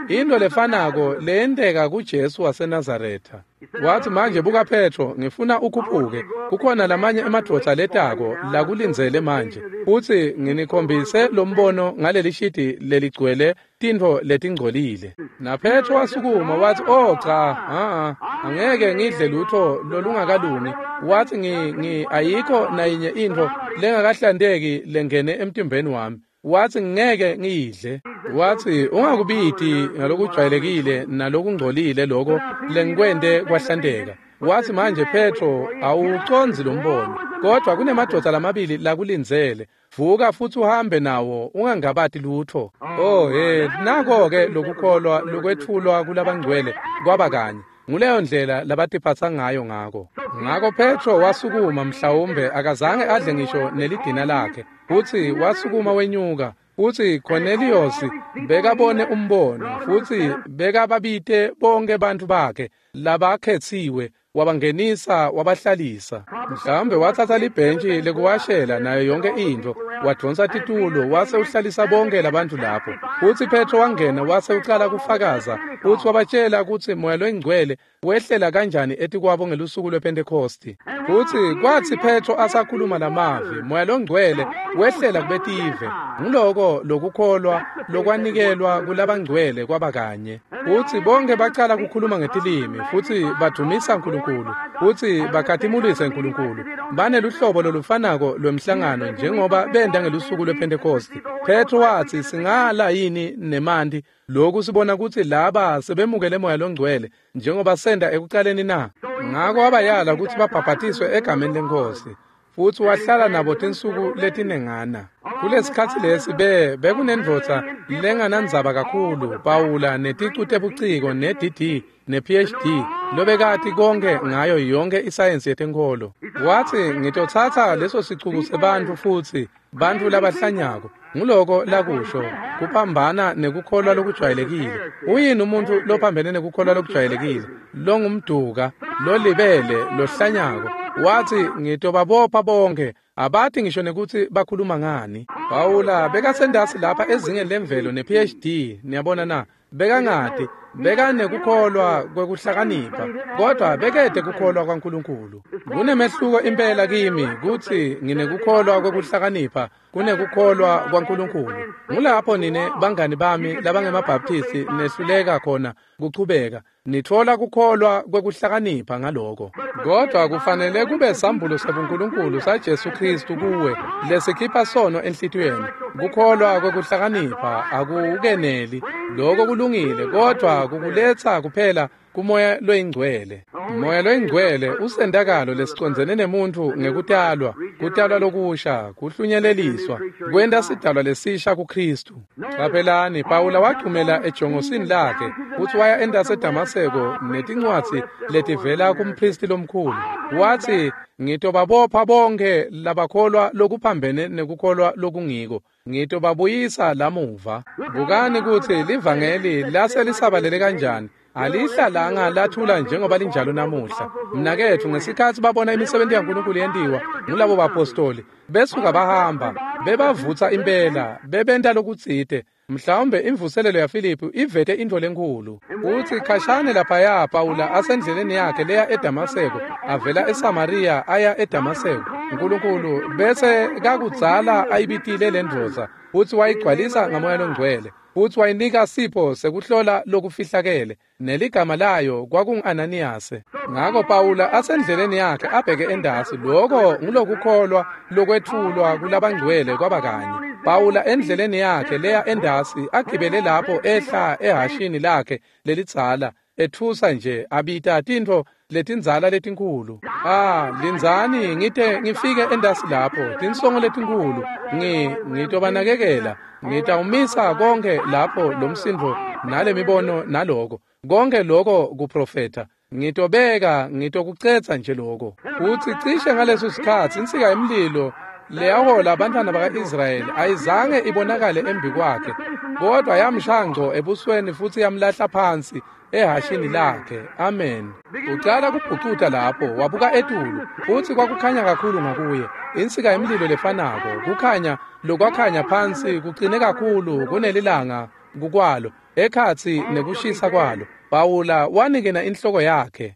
Into lefanako leyenteka kuJesu waseNazaretha. Wathi manje buka Petro, ngifuna ukhuphuke. Kukhona lamanye emadvodza letako lakulindzele manje. Futsi nginikhombise lo mbono ngaleli shidi leligcwele tintfo letingcolile. Na Petro wasukuma wathi, "Oh cha, a angeke ngidle lutho lolungakalungi." Wathi ngi ngi ayikho nayinye intfo lengakahlanteki lengene emtimbeni wami. Wathi ngeke ngiyidle. Wathi ungakubiti ngalokujwayelekile nalokungcolile lokho lengikwente kwahlanteka. Wathi manje Petro awucondzi lo mbono, kodwa kunemadvodza lamabili lakulindzele. Vuka futsi uhambe nawo ungangabati lutho. Oh he, nako-ke lokukholwa lokwetfulwa kulabangcwele kwaba kanye. Nguleyo ndlela labatiphatsa ngayo ngako. Ngako Petro wasukuma, mhlawumbe akazange adle ngisho nelidina lakhe. Futsi wasukuma wenyuka. Futsi Cornelius bekabone umbono futsi bekababite bonke bantfu bakhe labakhetsiwe, wabangenisa wabahlalisa. Mhlawumbe watsatsa libhentshi lekuwashela nayo yonke intfo, wadvonsa titulo wase uhlalisa bonke labantfu lapho. Futsi Petro wangena wase ucala kufakaza futsi wabatshela kutsi Moya loyiNgcwele wehlela kanjani etikwabo ngelusuku lwePhentekosti. Futsi kwatsi Petro asakhuluma lamavi, Moya loNgcwele wehlela kubetive. Nguloko lokukholwa lokwanikelwa kulabangcwele kwaba kanye. Futsi bonke bacala kukhuluma ngetilimi futsi badvumisa uNkulunkulu futsi bakhatimulise uNkulunkulu. Baneluhlobo lolufanako lwemhlangano njengoba benta ngelusuku lwePhentekosti. Petro watsi singala yini nemanti lokhu sibona kutsi laba sebemukele Moya loNgcwele njengoba senda ekucaleni na? Ngako wabayala kutsi babhabhatiswe egameni leNkhosi. Futsi wahlala nabo tinsuku letinengana. Kulesikhatsi lesi be bekunendvodza lenganandzaba kakhulu, Pawula neticu tebuciko ne-D D ne-P H D lobekati konke ngayo yonke isayensi yetenkholo. Watsi, ngitotsatsa leso sicuku sebantfu futsi bantfu labahlanyako. Nguloko lakusho, kuphambana nekukholwa lokujwayelekile. Uyini umuntu lophambene nekukholwa lokujwayelekile? Longumduka, lolibele, lohlanyako. Watsi, ngitobabopha bonke, abati ngisho nekutsi bakhuluma ngani. Pawula bekasendasi lapha ezingeni lemvelo ne-P H D, niyabona na? Bekangati, bekanekukholwa kwekuhlakanipha, kodwa bekete kukholwa kwaNkulunkulu. Kunemehluko impela kimi kutsi nginekukholwa kwekuhlakanipha kunekukholwa kwaNkulunkulu. Ngulapho nine bangani bami labangemabhaptisti nehluleka khona kuchubeka. Nitfola kukholwa kwekuhlakanipha ngaloko. Kodwa kufanele kube sambulo sabuNkulunkulu saJesu Kristu kuwe lesikhipha sono enhlitiyweni. Kukholwa kwekuhlakanipha akukeneli. Lokho kulungile, kodwa kukuletsa kuphela kumoya loyingcwele. Moya loyingcwele usendakalo lesicondzene nemuntu ngekutalwa, kutalwa lokusha, kuhlunyeleliswa, kwenta sidalwa lesisha kuKristu. Qaphelani, Pawula wachumela ejongosini lakhe futsi waya endase eDamaseko netincwadzi letivela kumpristi lomkhulu. Watsi, ngitobabopha bonke labakholwa lokuphambene nekukholwa lokungiko. Ngitobabuyisa lamuva. Bukani kutsi livangeli lase lisabalele kanjani. Alihlalanga lathula njengoba linjalo namuhla. Mnaketfu, ngesikhatsi babona imisebenti yaNkulunkulu yentiwa ngulabo bapostoli, besuka bahamba, bebavutsa impela, bebenta lokutsite. Mhlawumbe imvuselelo yaFilipi ivete intfo lenkhulu. Utsi khashane laphaya Pawula asendleleni yakhe leya eDamaseko, avela eSamariya aya eDamaseko. Nkulunkulu bese kakudzala ayibitile lendvodza, futsi wayigcwalisa ngamoya longcwele. Futsi wayinika sipho sekuhlola lokufihlakele, neligama layo kwakungu-Ananiyase. Ngako Pawula asendleleni yakhe abheke endasi, loko ngulokukholwa lokwetfulwa kulabangcwele kwaba kanye. Pawula endleleni yakhe leya endasi agibele lapho ehla ehashini lakhe lelidzala, etfusa nje abita tintfo letindzala letinkhulu. Ah, lindzani ngite ngifike endasi lapho, tinsongo letinkhulu, ngi ngitobanakekela. Ngitawumisa konke lapho lomsindvo nalemibono naloko. Konke loko kuprofetha. Ngitobeka, ngitokucetsa nje loko. Utsi cishe ngaleso sikhatsi insika yemlilo leyahola abantwana baka-Israyeli ayizange ibonakale embi kwakhe, kodwa yamshaya ngco ebusweni futsi yamlahla phansi ehashini lakhe. Amen. Ucala kubhucuta lapho, wabuka etulu, futsi kwakukhanya kakhulu ngakuye. Insika yemlilo lefanako, kukhanya lokwakhanya phansi kucine kakhulu kunelilanga kukwalo, ekhatsi nekushisa kwalo. Pawula wanikena inhloko yakhe.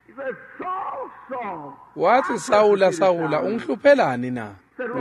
Watsi, Sawula, Sawula, ungihluphelani na?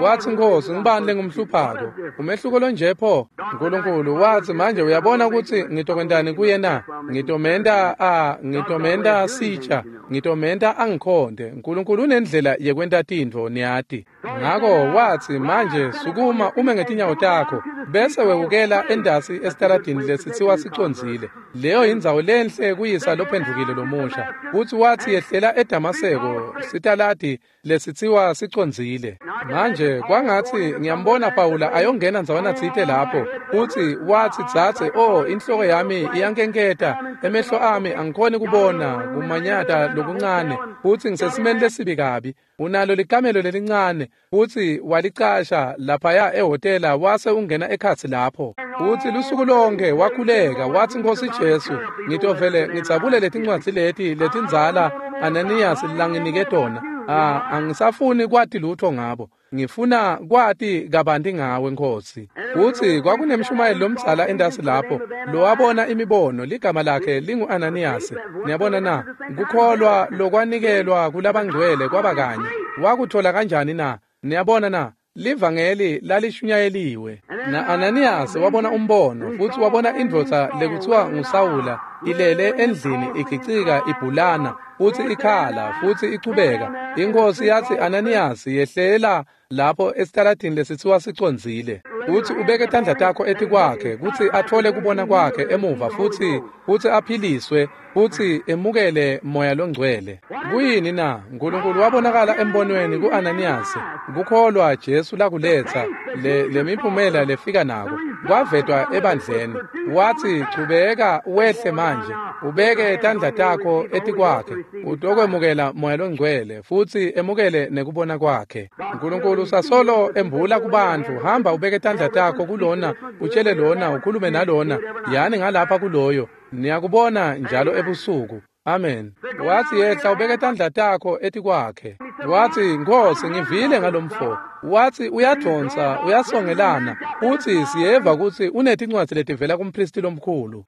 Watsi, Nkosi, ngibani lengumhluphako? Umehluko lonje pho? Nkulunkulu watsi, manje uyabona kutsi ngitokwentani kuye na? Ngitomenta a ngitomenta sitsha, ngitomenta angikhonde. Nkulunkulu unendlela yekwenta tintfo, niyati. Ngako watsi, manje sukuma ume ngetinyawo takho, bese wewukela endasi esitaladini lesitsiwa sicondzile. Leyo indzawo lenhle kuyisa lophendvukile lomusha. Futsi watsi, yehlela eDamaseko, sitaladi lesitsiwa sicondzile. Manje kwangatsi ngiyambona Pawula ayongena ndzawana tsite lapho. Futsi watsi, dzadze, oh, inhloko yami iyankenketa, emehlo ami angikhoni kubona, kumanyata lokuncane, futsi ngisesimeni lesibi kabi. Unalo likamelo lelincane, futsi walicasha laphaya ehhotela wase ungena ekhatsi lapho. Futsi lusuku lonke wakhuleka, watsi, Nkosi Jesu, ngitovele ngidzabule letincwadzi leti letindzala Ananiyas langinike tona. Ah, angisafuni kwati lutho ngabo. Ngifuna kwati kabanti ngawe, Nkosi. Futsi kwakunemshumayeli lomdzala endasi lapho lowabona imibono, ligama lakhe lingu-Ananiyase. Niyabona na? Kukholwa lokwanikelwa kulabangcwele kwaba kanye. Wakuthola kanjani na? Niyabona na? Livangeli lalishunyayeliwe. Na-Ananiyase wabona umbono, futsi wabona indvodza lekuthiwa nguSawula ilele endlini igicika ibhulana, futsi ikhala, futsi ichubeka. Inkosi yatsi, Ananiyase, yehlela lapho esitaladini lesitsiwa sicondzile. Utsi ubeke tandla takho etikwakhe kutsi atfole kubona kwakhe emuva futsi futsi aphiliswe futsi emukele moya longcwele. Kuyini na? Nkulunkulu wabonakala embonweni ku-Ananiyase. Kukholwa Jesu lakuletsa le lemiphumela lefika nako kwavetwa ebandleni. Watsi, chubeka wehle manje Ubeke tandla takho etikwakhe, utokwemukela Moya Longcwele futsi emukele nekubona kwakhe. Nkulunkulu usasolo embula kubantfu, hamba ubeke tandla takho kulona, utshele lona, ukhulume nalona, yani ngalapha kuloyo. Niyakubona njalo ebusuku. Amen. Wathi yehla ubeke tandla takho etikwakhe. Wathi, Nkosi, ngivile ngalomfo. Wathi uyadonsa, uyasongelana. Uthi siyeva kutsi unetincwadzi letivela kumpristi lomkhulu.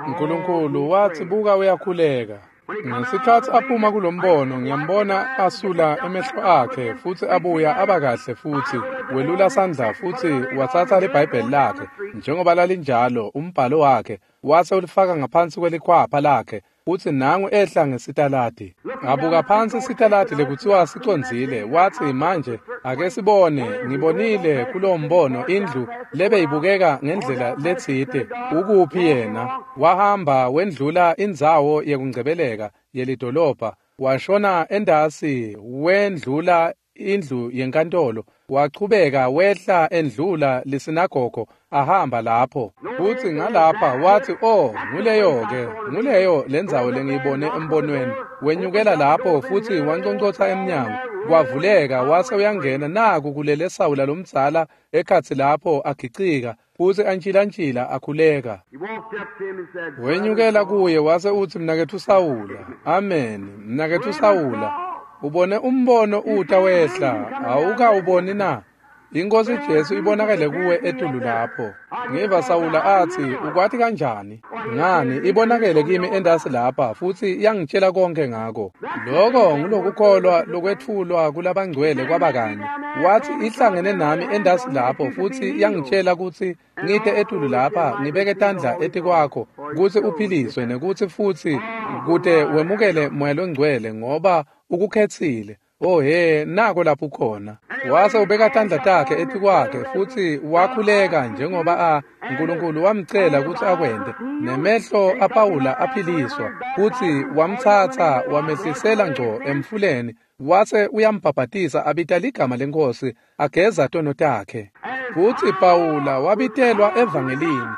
Nkulunkulu wathi buka uyakhuleka. Ngesikhatsi aphuma kulombono ngiyambona asula emehlo akhe futsi abuya abakahle futsi welula sandla futsi watsatsa liBhayibheli lakhe njengoba lalinjalo umbhalo wakhe wase ulifaka ngaphansi kwelikhwapha lakhe futsi nangu ehla ngesitaladi. Abuka phansi sitaladi lekutsiwa sicondzile, wathi manje ake sibone, ngibonile kulowo mbono indlu lebeyibukeka ngendlela letsite, ukuphi yena? Wahamba wendlula indzawo yekungcebeleka yelidolobha, washona endasi wendlula indlu yenkantolo, wachubeka wehla endlula lisinagogo ahamba lapho. Futsi ngalapha wathi, oh, nguleyo-ke, nguleyo lendzawo lengiyibone embonweni. Wenyukela lapho futsi wanconcotsa emnyango, kwavuleka wase uyangena. Naku kulele Sawula lomdzala ekhatsi lapho agicika futsi antshilantshila akhuleka. Wenyukela kuye wase utsi, mnaketfu Sawula. Amen, mnaketfu Sawula, ubone umbono uta wehla, awukawuboni na? Inkosi Jesu ibonakele kuwe etulu lapho. Ngiva Sawula athi, ukwati kanjani? Ngani, ibonakele kimi endasi lapha futsi yangitshela konke ngako. Loko ngulokukholwa lokwetfulwa kulabangcwele kwabakanye. Wathi ihlangene nami endasi lapho futsi yangitshela kutsi ngite etulu lapha ngibeke tandla etikwakho kutsi uphiliswe nekutsi futsi kute wemukele Moya Longcwele ngoba ukukhetsile. Oh he, nako lapho khona. Wase ubeka tandla takhe etikwakhe futsi wakhuleka njengoba a Nkulunkulu wamcela kutsi akwente. Nemehlo aPawula aphiliswa futsi wamtsatsa wamehlisela ngco emfuleni wase uyambhabhatisa abita ligama leNkosi ageza tono takhe. Futsi Pawula wabitelwa evangelini.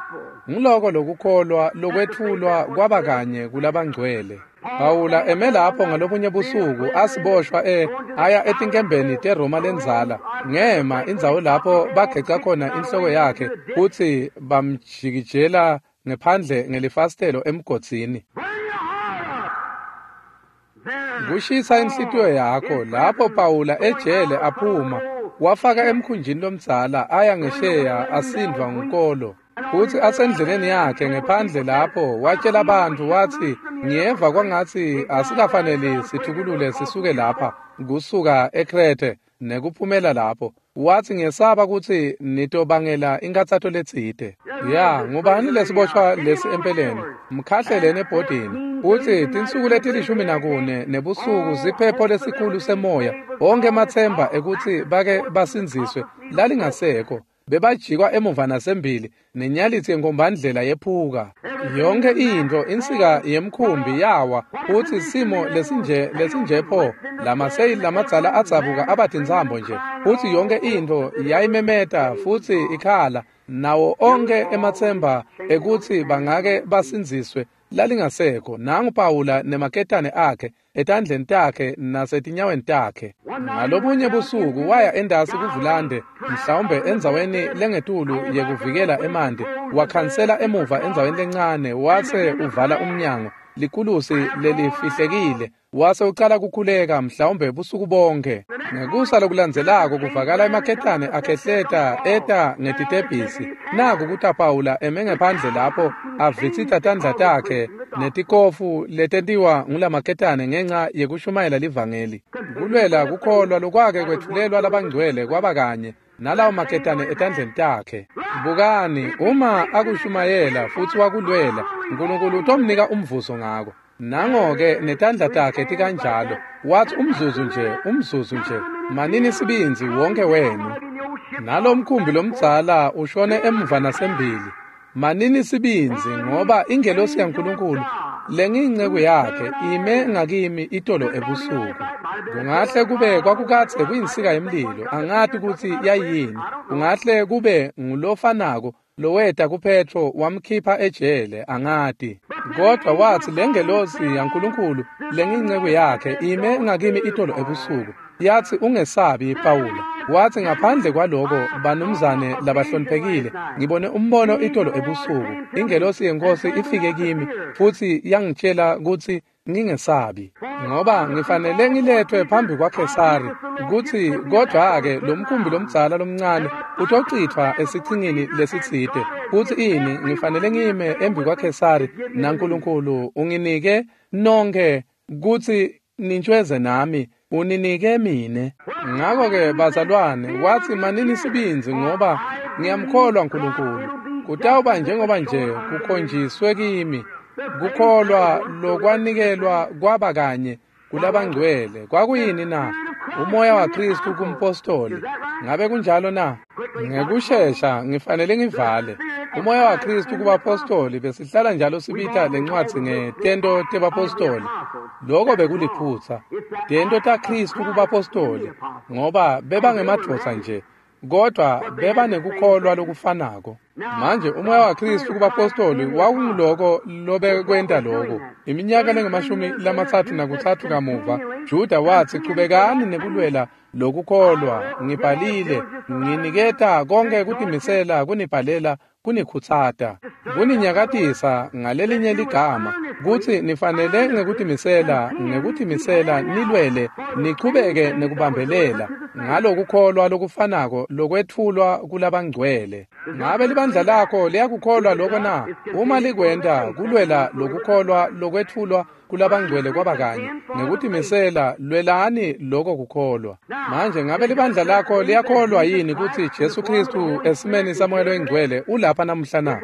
Nguloko lokukholwa lokwetfulwa kwaba kanye kulabangcwele. Pawula eme lapho ngalobunye busuku asiboshwa e aya etinkembeni teRoma lendzala, ngema indzawo lapho bageca khona inhloko yakhe futsi bamjikijela ngephandle ngelifasitelo emgodzini. Kushisa inhlitiyo yakho lapho Pawula ejele aphuma wafaka emkhunjini lomdzala aya ngesheya asindvwa ngunkolo. Futsi asendleleni yakhe ngephandle lapho watshela abantu wathi, ngiyeva kwangatsi asikafaneli sithukulule sisuke lapha kusuka eKrete nekuphumela lapho. Wathi ngiyesaba kutsi nitobangela inkathato letsite. Ya, ngubani lesiboshwa lesi empeleni? Mkhahleleni ebhodini. Utsi tinsuku letilishumi nakune nebusuku siphepho lesikhulu semoya, onke ematsemba ekutsi bake basindziswe lalingasekho. Bebajikwa emuva nasembili nenyalitsi yenkombandlela yephuka. Yonke intfo insika yemkhumbi yawa futsi simo lesinje lesinje pho lamaseyili lamadzala adzabuka abatintsambo nje futsi yonke intfo yayimemeta futsi ikhala nawo onke ematsemba ekutsi bangake basindziswe lalingasekho. Nangu Pawula nemaketane akhe etandleni takhe nasetinyaweni takhe. Ngalobunye busuku waya endasi kuvulande, mhlawumbe endzaweni lengetulu yekuvikela emanti, wakhansela emuva endzaweni lencane wase uvala umnyango likulusi lelifihlekile wase ucala kukhuleka mhlawumbe busuku bonke. Ngekusa lokulandzelako kuvakala emaketane akhehleta eta ngetitebhisi. Naku kuta Pawula eme ngephandle lapho avitsita tandla takhe netikofu letentiwa ngulamaketane ngenxa yekushumayela livangeli. Kulwela kukholwa lokwake kwetfulelwa labangcwele kwaba kanye nalawo maketane etandleni takhe. Bukani, uma akushumayela futsi wakulwela, Nkulunkulu utomnika umvuzo ngako. Nango-ke netandla takhe tikanjalo. Wathi umzuzu nje, umzuzu nje, manini sibindzi wonke wenu. Nalo mkhumbi lomdzala ushone emuva nasembili. Manini sibindzi ngoba ingelosi yaNkulunkulu lengiyinceku yakhe ime ngakimi itolo ebusuku. Kungahle kube kwakukadze kuyinsika yemlilo, angati kutsi yayini. Kungahle kube ngulofanako loweta kuPetro wamkhipha ejele angati. Kodwa wathi lengelosi yaNkulunkulu lengiyinceku yakhe ime ngakimi itolo ebusuku yathi ungesabi Pawula. Wathi ngaphandle kwaloko banumzane labahloniphekile ngibone umbono itolo ebusuku ingelosi yenkosi ifike kimi futhi yangitshela ukuthi ngingesabi ngoba ngifanele ngilethwe phambi kwaKhesari ukuthi kodwa-ke lo mkhumbi lomdzala lomncane utochithwa esichingini lesitsite futhi ini ngifanele ngime embi kwaKhesari naNkulunkulu unginike nonke kutsi nintshweze nami uninike mine. Ngakho-ke bazalwane wathi manini sibindzi ngoba ngiyamkholwa uNkulunkulu kutawuba njengoba nje kukhonjiswe kimi kukholwa lokwanikelwa kwaba kanye kulabangcwele. Kwakuyini na? Umoya waKristu kumpostoli. Ngabe kunjalo na? Ngekushesha ngifanele ngivale. Umoya waKristu kubapostoli besihlala njalo sibita lencwadzi ngetento tebapostoli. Lokho bekuliphutha. Tento taKristu kubapostoli ngoba bebangemadvodza nje kodwa bebanekukholwa lokufanako. Manje umoya waKristu kubapostoli wawunguloko lobekwenta lokho. Iminyaka lengamashumi lamatsatfu nakutsatfu kamuva Juda wathi chubekani nekulwela lokukholwa ngibhalile nginiketa konke kutimisela kunibhalela kunikhutsata kuninyakatisa ngalelinye ligama kutsi nifanele ngekutimisela ngekutimisela nilwele nichubeke nekubambelela ngalokukholwa lokufanako lokwetfulwa kulabangcwele. Ngabe libandla lakho liyakukholwa lokho na? Uma likwenta kulwela lokukholwa lokwetfulwa kulabangcwele kwaba kanye ngekutimisela lwelani lokho kukholwa. Manje ngabe libandla lakho liyakholwa yini kutsi Jesu Kristu esimeni saMoya loyiNgcwele ulapha namuhla na?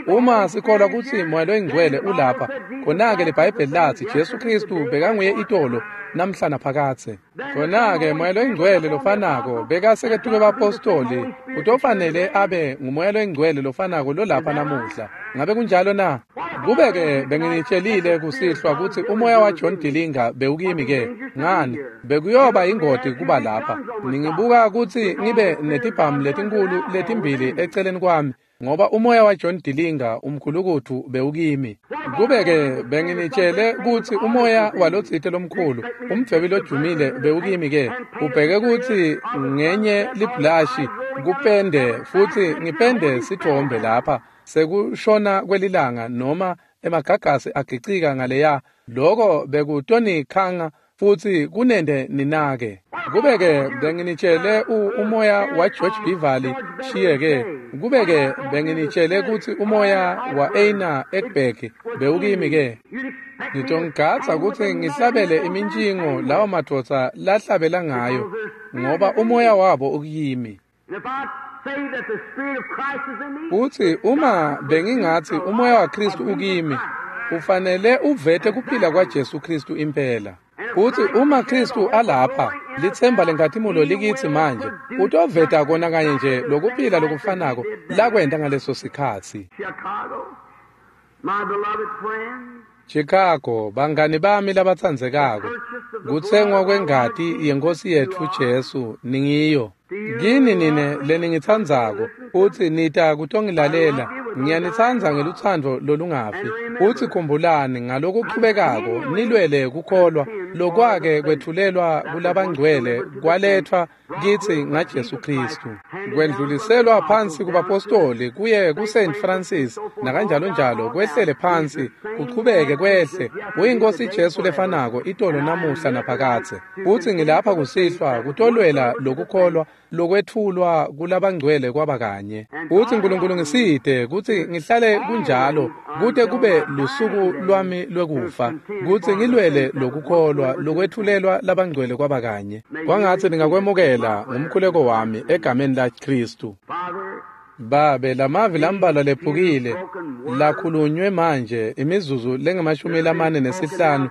Uma sikholwa kutsi Moya loyiNgcwele ulapha, khona-ke liBhayibheli latsi Jesu Kristu bekanguye itolo namhla naphakadze. Khona-ke Moya loyiNgcwele lofanako bekaseketuke bapostoli utofanele abe nguMoya loyiNgcwele lofanako lolapha namuhla. Ngabe kunjalo na? Kube-ke benginitshelile kusihlwa kutsi umoya wa John Dillinger bewukimi-ke ngani bekuyoba ingoti kuba lapha. Ningibuka kutsi ngibe netibhamu letinkulu letimbili eceleni kwami ngoba umoya wa John Dillinger umkhulukutfu bewukimi. Kube-ke benginitshele kutsi umoya walotsite lomkhulu umdvwebi lojumile bewukimi-ke ubheke kutsi ngenye libhulashi kupende futsi ngipende sithombe lapha sekushona kwelilanga noma emagagasi agicika ngaleya lokho bekutonikhanga futhi kunende ninake. Kube-ke benginitshele umoya wa George Beverly Shiyeke kube-ke benginitshele kutsi umoya wa Einar Ekberg bewukimi-ke ngitongigadza kutsi ngihlabele imintshingo lawo madvodza lahlabela ngayo ngoba umoya wabo ukimi. Futsi uma bengingatsi umoya waKristu ukimi ufanele uvete kuphila kwaJesu Kristu impela. Futsi uma Kristu alapha litsemba lenkhatimulo likitsi manje utoveta kona kanye nje lokuphila lokufanako lakwenta ngaleso sikhatsi. Chicago, bangani bami labatsandzekako, kutsengwa kwengati yeNkosi yetfu Jesu ningiyo. Kini nine leningitsandzako futsi nita kutongilalela ngiyanitsandza ngelutsandvo lolungafi. Futsi khumbulani ngalokuchubekako nilwele kukholwa lokwake kwetfulelwa kulabangcwele kwaletfwa kitsi ngaJesu Kristu. Kwendluliselwa phansi kubapostoli kuye kuSaint Francis nakanjalo njalo kwehlele phansi kuchubeke kwehle uyinkosi Jesu lefanako itolo namuhla naphakadze. Futsi ngilapha kusihlwa kutolwela lokukholwa lokwetfulwa kulabangcwele kwaba kanye. Futsi Nkulunkulu ngisite kutsi ngihlale kunjalo kute kube lusuku lwami lwekufa kutsi ngilwele lokukholwa lokwetfulelwa labangcwele kwaba kanye. Kwangatsi ningakwemukela ngumkhuleko wami egameni la Kristu. Babe, lamavi lambalwa lephukile lakhulunywe manje imizuzu lengamashumi lamane nesihlanu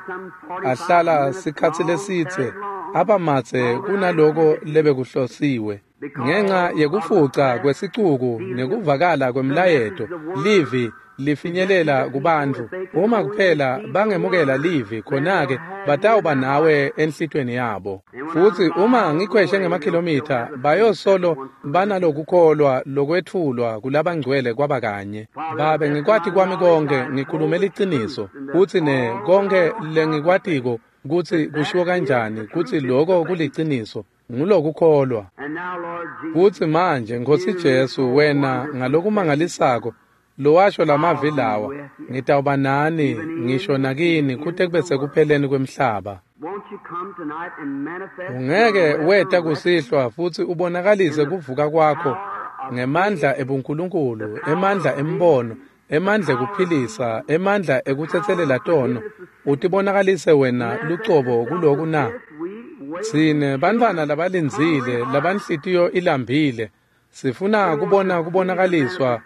ahlala sikhatsi lesitse abamatse kunaloko lebekuhlosiwe. Ngenxa yekufuca kwesicuku nekuvakala kwemlayeto, livi lifinyelela kubantfu. Uma kuphela bangemukela livi, khona-ke batawuba nawe enhlitweni yabo. Futsi uma ngikhweshe ngemakhilomitha, bayosolo banalokukholwa lokwetfulwa kulabangcwele kwaba kanye. Babe, ngikwati kwami konke, ngikhulume liciniso, kutsi ne konke lengikwatiko kutsi kushiwo kanjani, kutsi loko kuliciniso, ngulokukholwa. Futsi manje, Nkhosi Jesu, wena ngalokumangalisako lowasho lamavi lawa, ngitawuba nani ngisho nakini kute kube sekupheleni kwemhlaba. Ungeke weta kusihlwa futsi ubonakalise kuvuka kwakho ngemandla ebuNkulunkulu, emandla embono, emandla ekuphilisa, emandla ekutsetselela tono, utibonakalise wena lucobo kuloku na? Tsine bantfwana labalindzile, labanhlitiyo ilambile, sifuna kubona kubonakaliswa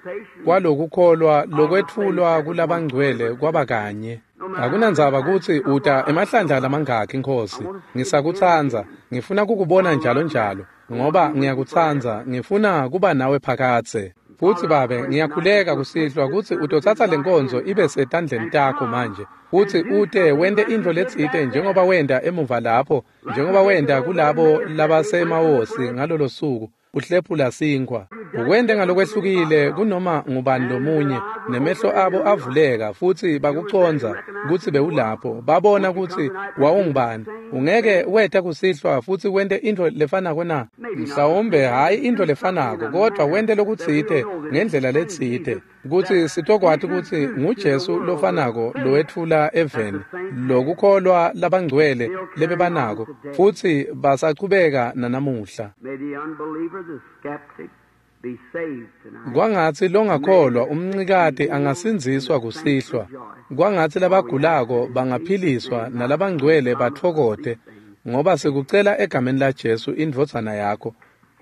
kwalokukholwa lokwetfulwa kulabangcwele kwaba kanye. Akunandzaba kutsi uta emahlandla lamangakhi, Nkhosi, ngisakutsandza, ngifuna kukubona njalo njalo, ngoba ngiyakutsandza, ngifuna kuba nawe phakadze. Futsi Babe, ngiyakhuleka kusihlwa kutsi utotsatsa lenkonzo ibe setandleni takho manje, futsi ute wente intfo letsite njengoba wenta emuva lapho, njengoba wenta kulabo labasemawosi ngalolo suku, uhlephula sinkhwa. Ukwente ngalokwehlukile kunoma ngubani lomunye, nemehlo abo avuleka futsi bakucondza kutsi bewulapho, babona kutsi wawungubani. Ungeke weta kusihlwa futsi wente intfo lefanako na? Mhlawumbe hhayi intfo lefanako, kodvwa wente lokutsite ngendlela letsite, kutsi sitokwati kutsi nguJesu lofanako lowetfula eveni lokukholwa labangcwele lebebanako, futsi basachubeka nanamuhla. Kwangatsi longakholwa umncikati angasindziswa kusihlwa, kwangatsi labagulako bangaphiliswa nalabangcwele batfokote, ngoba sikucela egameni laJesu indvodzana yakho,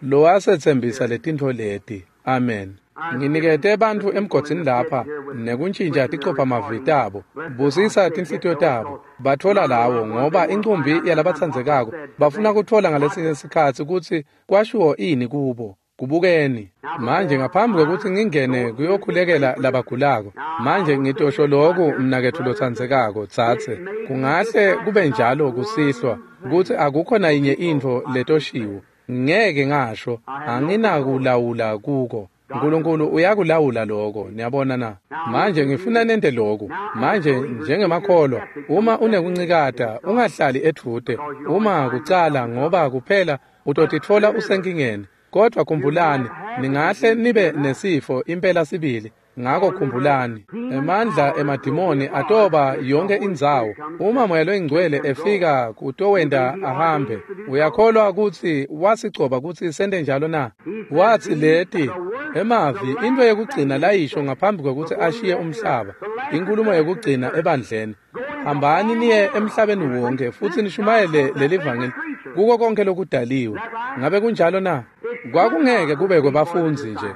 lowasetsembisa letintfo leti. Amen. Nginikete bantfu emgodzini lapha nekuntjintja ticophamavi tabo, busisa tinhlitiyo tabo, batfola lawo, ngoba incumbi yalabatsandzekako bafuna kutfola ngalesinye sikhatsi kutsi kwashiwo ini kubo. Kubukeni manje, ngaphambi kwekutsi ngingene kuyokhulekela labagulako, manje ngitosho loku, mnaketfu lotsandzekako, tsatse, kungahle kube njalo kusihlwa kutsi akukho nayinye intfo letoshiwo, ngeke ngasho, anginakulawula kuko. Nkulunkulu uyakulawula loko, niyabona na? Manje ngifuna nente loku. Manje njengemakholwa, uma unekuncikata, ungahlali edvute, uma kucala, ngoba kuphela utotitfola usenkingeni. Kodvwa khumbulani, ningahle nibe nesifo impela sibili. Ngako khumbulani, emandla emadimoni atoba yonke indzawo. Uma Moya loyiNgcwele efika kutowenta ahambe, uyakholwa kutsi wasigcoba kutsi sente njalo na? Watsi leti emavi, intfo yekugcina layisho ngaphambi kwekutsi ashiye umhlaba, inkhulumo yekugcina ebandleni: hambani niye emhlabeni wonke futsi nishumayele lelivangeli kuko konke lokudaliwe. Ngabe kunjalo na? Kwakungeke kube kwebafundzi nje,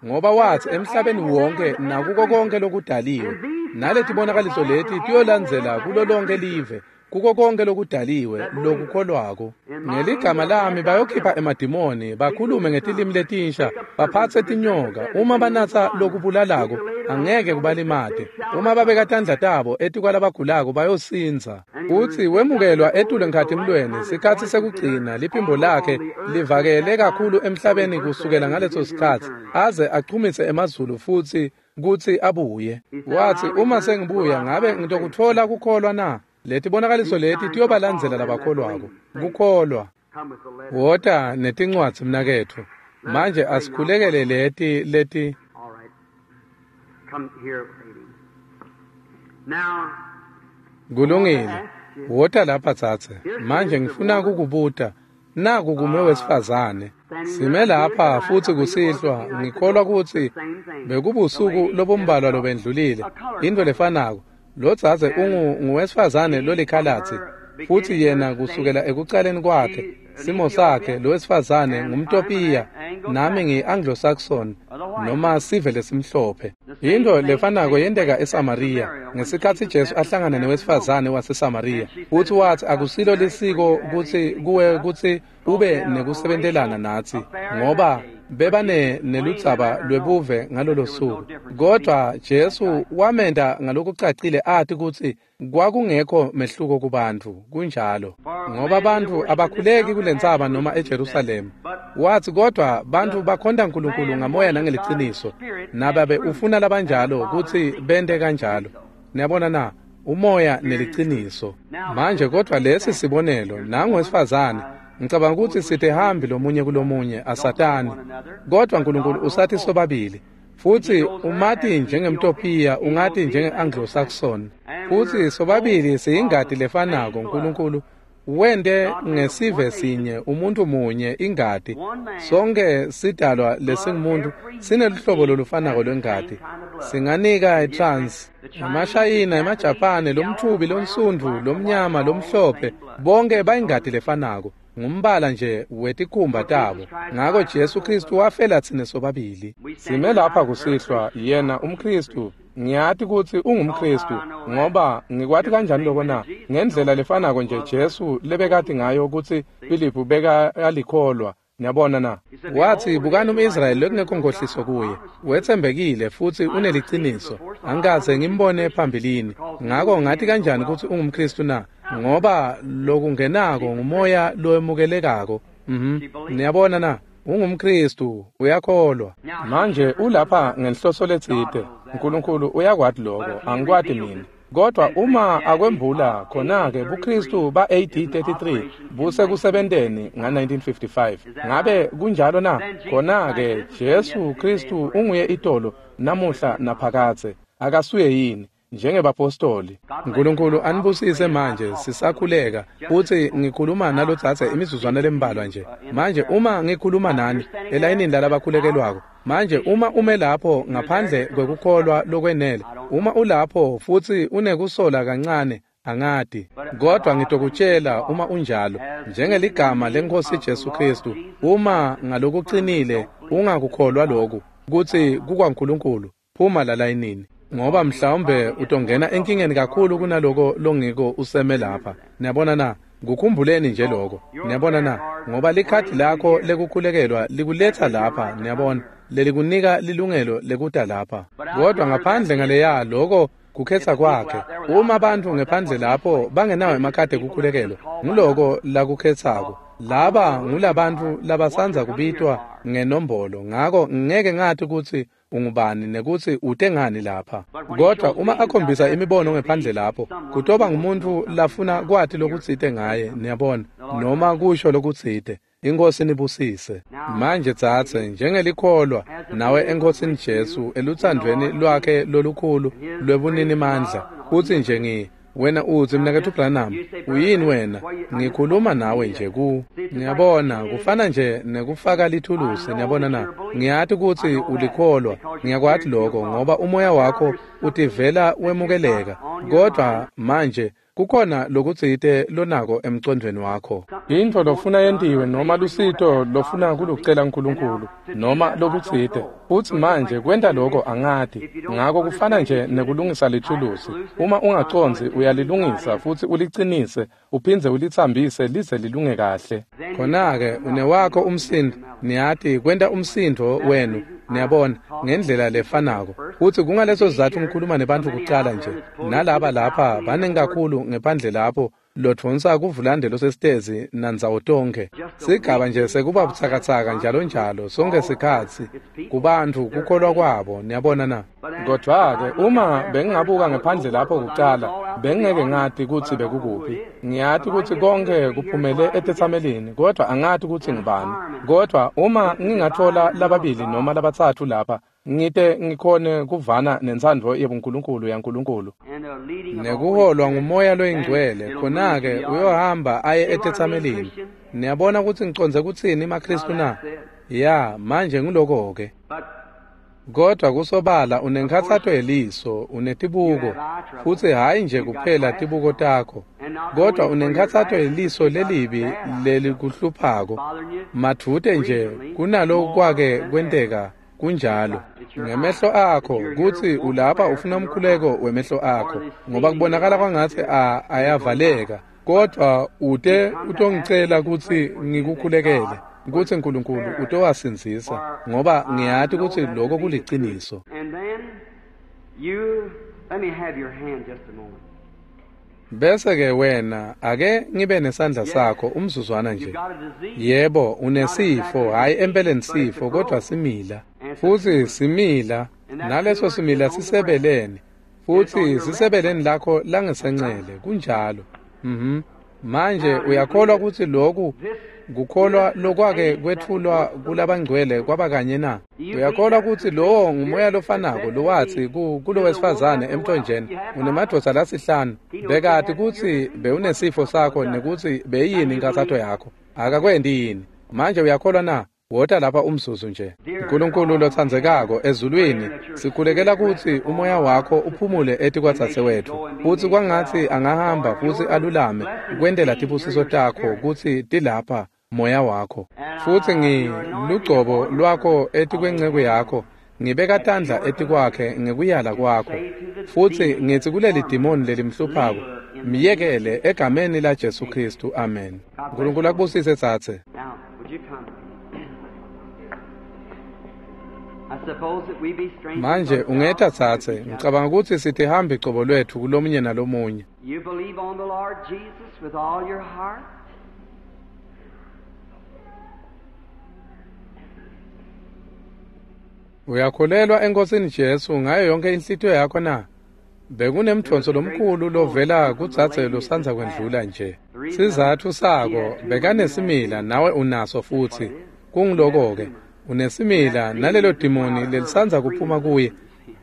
ngoba watsi emhlabeni wonke nakuko konke lokudaliwe, naletibonakaliso leti tiyolandzela kulo lonke live, kuko konke lokudaliwe lokukholwako. Ngeligama lami bayokhipha emadimoni, bakhulume ngetilimi letinsha, baphatse tinyoka, uma banatsa lokubulalako angeke kubalimate, uma babeka tandla tabo etikwalabagulako bayosindza. Futsi wemukelwa etulu enkhatimlweni sikhatsi sekugcina, liphimbo lakhe livakele kakhulu emhlabeni kusukela ngaleso sikhatsi, aze achumise emazulu futsi kutsi abuye. Watsi, uma sengibuya ngabe ngitokutfola kukholwa na? Letibonakaliso leti tiyobalandzela labakholwako. Kukholwa. Wota netincwadzi, mnaketfu. Manje asikhulekele leti leti. Kulungile. Wota lapha tsatse. Manje ngifuna kukubuta. Naku kume wesifazane. Sime lapha futsi kusihlwa, ngikholwa kutsi bekubusuku lobumbalwa lobendlulile, intfo lefanako. Lo dzadze ungu nguwesifazane lolikhalatsi, futsi yena kusukela ekucaleni kwakhe Simo sakhe lowesifazane ngumTopiya, nami ngi-Anglo-Saxon noma sive lesimhlophe. Into lefanako yenteka eSamariya ngesikhatsi Jesu ahlangana newesifazane waseSamariya. Futsi watsi akusilo lisiko kutsi kuwe kutsi ube nekusebentelana natsi, ngoba bebane neludzaba lwebuve ngalolo suku. Kodwa Jesu wamenta ngalokucacile ati kutsi kwakungekho mehluko kubantfu. Kunjalo, ngoba bantfu abakhuleki kulentsaba noma eJerusalema. Watsi kodwa bantfu bakhonta Nkulunkulu ngamoya nangeliciniso, nababe ufuna labanjalo kutsi bente kanjalo. Niyabona na? Umoya neliciniso. Manje kodwa lesi sibonelo, nangu wesifazane. Ngicabanga ukuthi sitehambi lomunye kulomunye asatani, kodwa Nkulunkulu usathi sobabili. Futsi umati njengemTopiya, ungati njenge-Anglo-Saxon. Futsi sobabili siyingati lefanako. Nkulunkulu wente ngesive sinye, umuntu munye, ingati. Sonke sidalwa lesingumuntu sineluhlobo lolufanako lwengati. Singanika i-trans, emaShayina, emaJapane, lomthubi, lonsundvu, lomnyama, lomhlophe, bonke bayingati lefanako. Ngumbala nje wetikhumba tabo. Ngako Jesu Kristu wafela tsine sobabili. Sime lapha kusihlwa, yena umKristu. Ngiyati kutsi ungumKristu, ngoba ngikwati kanjani lokho na? Ngendlela lefanako nje Jesu lebekati ngayo kutsi Filiphu bekalikholwa. Niyabona na? Watsi bukani umIsrayeli lekungekho nkohliso kuye, wetsembekile futsi uneliciniso. Angikaze ngimbone phambilini. Ngako ngati kanjani kutsi ungumKristu na? Ngoba lokungenako ngumoya lowemukelekako. Mhm. Niyabona na? UngumKristu, uyakholwa. Manje ulapha ngenhloso letsite. Nkulunkulu uyakwati lokho, angikwati mina. Kodwa uma akwembula khona-ke buKristu ba-A D thirty-three busekusebenteni nga-nineteen fifty-five. Ngabe kunjalo na? Khona-ke Jesu Kristu unguye itolo, namuhla naphakadze. Akasuye yini? Njengebapostoli. Nkulunkulu anibusise manje sisakhuleka. Futsi ngikhuluma nalotsatse imizuzwana lembalwa nje. Manje uma ngikhuluma nani elayinini lalabakhulekelwako, manje uma ume lapho ngaphandle kwekukholwa lokwenele, uma ulapho futsi unekusola kancane, angati. Kodwa ngitokutshela uma unjalo, njengeligama leNkosi Jesu Kristu, uma ngalokuqinile ungakukholwa lokhu kutsi kukwaNkulunkulu, phuma lalayinini. Ngoba mhlawumbe utongena enkingeni kakhulu kunaloko longiko useme lapha. Niyabona na? Kukhumbuleni nje lokho. Niyabona na? Ngoba likhadi lakho lekukhulekelwa likuletha lapha, niyabona, lelikunika lilungelo lekuta lapha. Kodwa ngaphandle ngaleya lokho kukhetha kwakhe. Uma abantu ngephandle lapho bangenawo emakhadi ekukhulekelwa, nguloko lakukhethako. Laba ngulabantu labasanza kubitwa ngenombolo. Ngako ngeke ngathi kutsi ungubani nekuthi ute ngani lapha. Kodwa uma akhombisa imibono ngephandle lapho, kutoba ngumuntu lafuna kwati lokutsite ngaye, niyabona, noma kusho lokutsite. Inkosi nibusise. Manje tsatse njengelikholwa nawe eNkosini Jesu eluthandweni lwakhe lolukhulu lwebunini mandla. Uthi nje ngi wena uthi mnaketfu Branham, uyini wena? Ngikhuluma nawe nje ku. Ngiyabona kufana nje nekufaka lithulusi, niyabona na? Ngiyati kutsi ulikholwa, ngiyakwati lokho ngoba umoya wakho utivela wemukeleka. Kodwa manje kukhona lokutsite lonako emcondvweni wakho. Intfo lofuna yentiwe noma lusito lofuna kulucela uNkulunkulu noma lokutsite. Futsi manje kwenta lokho angati. Ngako kufana nje nekulungisa lithulusi. Uma ungacondzi uyalilungisa futsi ulicinise uphindze ulitsambise lize lilunge kahle. Khona-ke unewakho umsindo, niyati kwenta umsindo wenu, niyabona, ngendlela lefanako. Futsi kungaleso sizatfu ngikhuluma nebantfu kucala nje. Nalaba lapha baningi kakhulu ngephandle lapho lodvonsa kuvulande losesitezi nandzawo tonkhe. Sigaba nje sekuba butsakatsaka njalo njalo sonke sikhatsi kubantfu kukholwa kwabo, niyabona na? Kodwa-ke uma bengingabuka ngephandle lapho kucala, bengingeke ngati kutsi bekukuphi. Ngiyati kutsi konke kuphumele etetsamelini, kodwa angati kutsi ngubani. Kodwa uma ngingatfola lababili noma labatsatfu lapha, ngite ngikhone kuvana nentsandvo yebuNkulunkulu yaNkulunkulu nekuholwa ngumoya loyingcwele, khona-ke uyohamba aye etetsamelini. Niyabona kutsi ngicondze kutsini maKristu na? Ya, manje nguloko-ke. Kodwa kusobala unenkhatsato yeliso, unetibuko, futsi hhayi nje kuphela tibuko takho. Kodwa unenkhatsato yeliso lelibi lelikuhluphako. Madvute nje kunalokwake kwenteka kunjalo. Ngemehlo akho kutsi ulapha ufuna umkhuleko wemehlo akho ngoba kubonakala kwangatsi ayavaleka. Kodwa ute utongicela kutsi ngikukhulekele kutsi uNkulunkulu utowasindzisa ngoba ngiyati kutsi lokho kuliciniso. Bese ke wena ake ngibe nesandla sakho umzuzwana nje. Yebo, unesifo, hayi empeleni sifo, kodwa simila. Futsi simila, naleso simila sisebeleni. Futsi sisebeleni lakho langesencele, kunjalo. Mhm. Manje uyakholwa kutsi lokhu kukholwa lokwake kwetfulwa kulabangcwele kwaba kanye na? Uyakholwa kutsi lowo ngumoya lofanako lowatsi kulowesifazane emthonjeni unemadvodza lasihlanu bekati kutsi bewunesifo sakho nekutsi beyini inkathato yakho akakwendi yini? Manje uyakholwa na? Wota lapha umzuzu nje. Nkulunkulu lotsandzekako ezulwini, sikhulekela kutsi umoya wakho uphumule etikwadzadze wetfu futsi kwangatsi angahamba futsi alulame kwentela tibusiso takho kutsi tilapha moya wakho. Futsi ngilugcobo lwakho etikwenceku yakho, ngibeka tandla etikwakhe ngekuyala kwakho. Futsi ngitsi kuleli dimoni lelimhluphako, miyekele egameni la Jesu Kristu, amen. Nkulunkulu akubusise tsatse. Manje ungeta tsatse, ngicabanga kutsi sitihambi cobo lwetfu kulomunye nalomunye. You believe on the Lord Jesus with all your heart? Uyakholelwa eNkosini Jesu ngayo yonke inhlitiyo yakho na? Bekunemdvonso lomkhulu lovela kudzadze losandza kwendlula nje. Sizatfu sako bekanesimila nawe unaso futsi. Kungiloko-ke unesimila nalelo dimoni lelisandza kuphuma kuye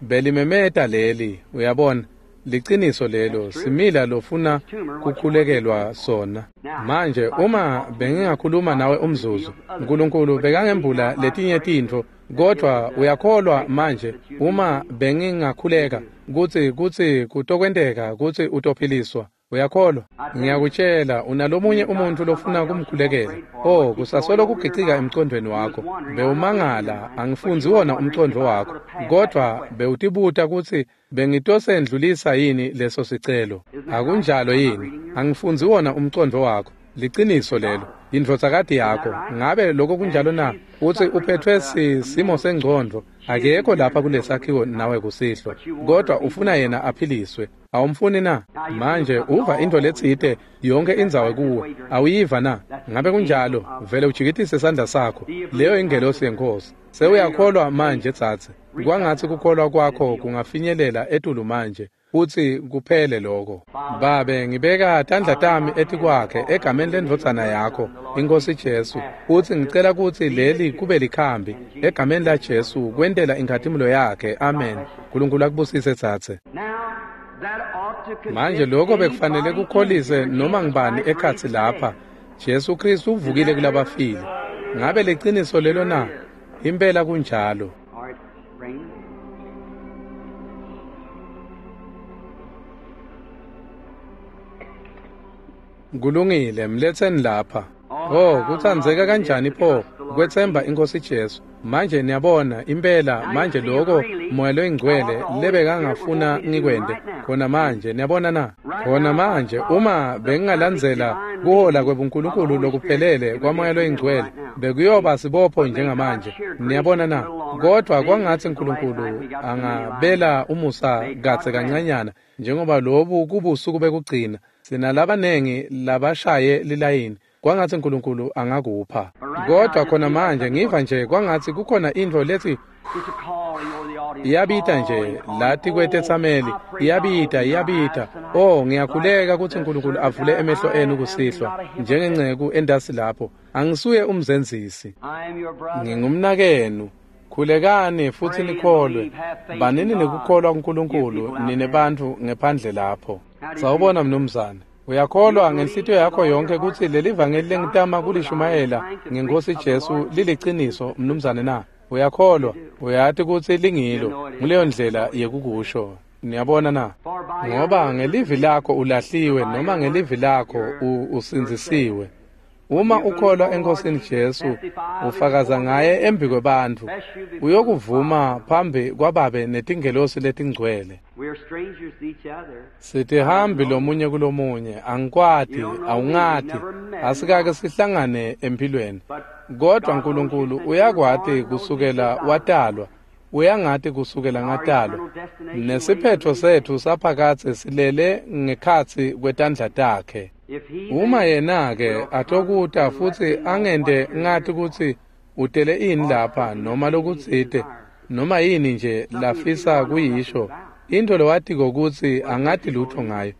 belimemeta leli, uyabona. Liciniso lelo simila lofuna kukhulekelwa sona. Manje uma bengingakhuluma nawe umzuzu, uNkulunkulu bekangembula letinye tintfo, kodwa uyakholwa manje uma bengingakhuleka kutsi kutsi kutokwenteka kutsi utophiliswa. Uyakholwa? Ngiyakutshela unalomunye umuntu lofuna kumkhulekela. Oh, kusasolo kugicika emcondweni wakho. Bewumangala, angifundzi wona umcondvo wakho, kodwa bewutibuta kutsi bengitosendlulisa yini leso sicelo. Akunjalo yini? Angifundzi wona umcondvo wakho. Liciniso lelo. Indvodzakati yakho, ngabe lokho kunjalo na? Utsi uphethwe simo sengcondvo, akekho lapha kulesakhiwo nawe kusihlwa, kodwa ufuna yena aphiliswe. Awumfuni na? Manje uva into letsite yonke indzawo kuwe, awuyiva na? Ngabe kunjalo? Vele ujikitise sandla sakho. Leyo ingelosi yeNkosi. Sewuyakholwa manje tsatse. Kwangatsi kukholwa kwakho kungafinyelela etulu manje futsi kuphele lokho. Babe, ngibeka tandla tami etikwakhe egameni lendvodzana yakho, iNkosi Jesu, futsi ngicela kutsi leli kube likhambi egameni la Jesu kwentela inkhatimulo yakhe. Amen. Nkulunkulu akubusise tsatse. Manje lokho bekufanele kukholise noma ngibani ekhatsi lapha. Jesu Kristu uvukile kulabafile. Ngabe liciniso lelo na? Impela kunjalo. Kulungile, mletseni lapha. Oh, kutsandzeka kanjani pho kwetsemba iNkosi Jesu. Manje niyabona impela manje lokho moya loyingcwele lebekangafuna ngikwente khona manje, niyabona na? Khona manje uma bengingalandzela kuhola kwebuNkulunkulu lokuphelele kwamoya loyingcwele bekuyoba sibopho njengamanje, niyabona na? Kodwa kwangatsi uNkulunkulu angabela umusa kadze kancanyana njengoba lobu kubusuku bekugcina sinalabanengi labashaye lilayini. Kwangatsi uNkulunkulu angakupha. Kodwa khona manje ngiva nje kwangatsi kukhona intfo lethi iyabita nje lati kwetetsameli, iyabita iyabita. Oh, ngiyakhuleka kutsi uNkulunkulu avule emehlo enu kusihlwa njengenceku endasi lapho. Angisuye umzenzisi, ngingumnakenu. Khulekani futsi nikholwe. Banini nekukholwa kuNkulunkulu nine bantfu ngephandle lapho. Sawubona mnumzane. Uyakholwa ngenhlitiyo yakho yonke kutsi leli vangeli lengitama kulishumayela ngeNkosi Jesu liliciniso mnumzane na? Uyakholwa? Uyati kutsi lingilo. Nguleyo ndlela yekukusho. Niyabona na? Ngoba ngelivi lakho ulahliwe noma ngelivi lakho usindzisiwe. Uma ukholwa eNkosini Jesu, ufakaza ngaye embi kwebantfu, uyokuvuma phambi kwababe netingelosi letingcwele. Sitihambi lomunye kulomunye, angikwati, awungati, asikake sihlangane empilweni. Kodwa Nkulunkulu uyakwati kusukela watalwa, uyangati kusukela ngatalwa. Nesiphetho setfu saphakadze silele ngekhatsi kwetandla takhe. Uma yena-ke atokuta futsi angente ngati kutsi utele ini lapha noma lokutsite noma yini nje lafisa kuyisho, intfo lowatiko kutsi angati lutho ngayo,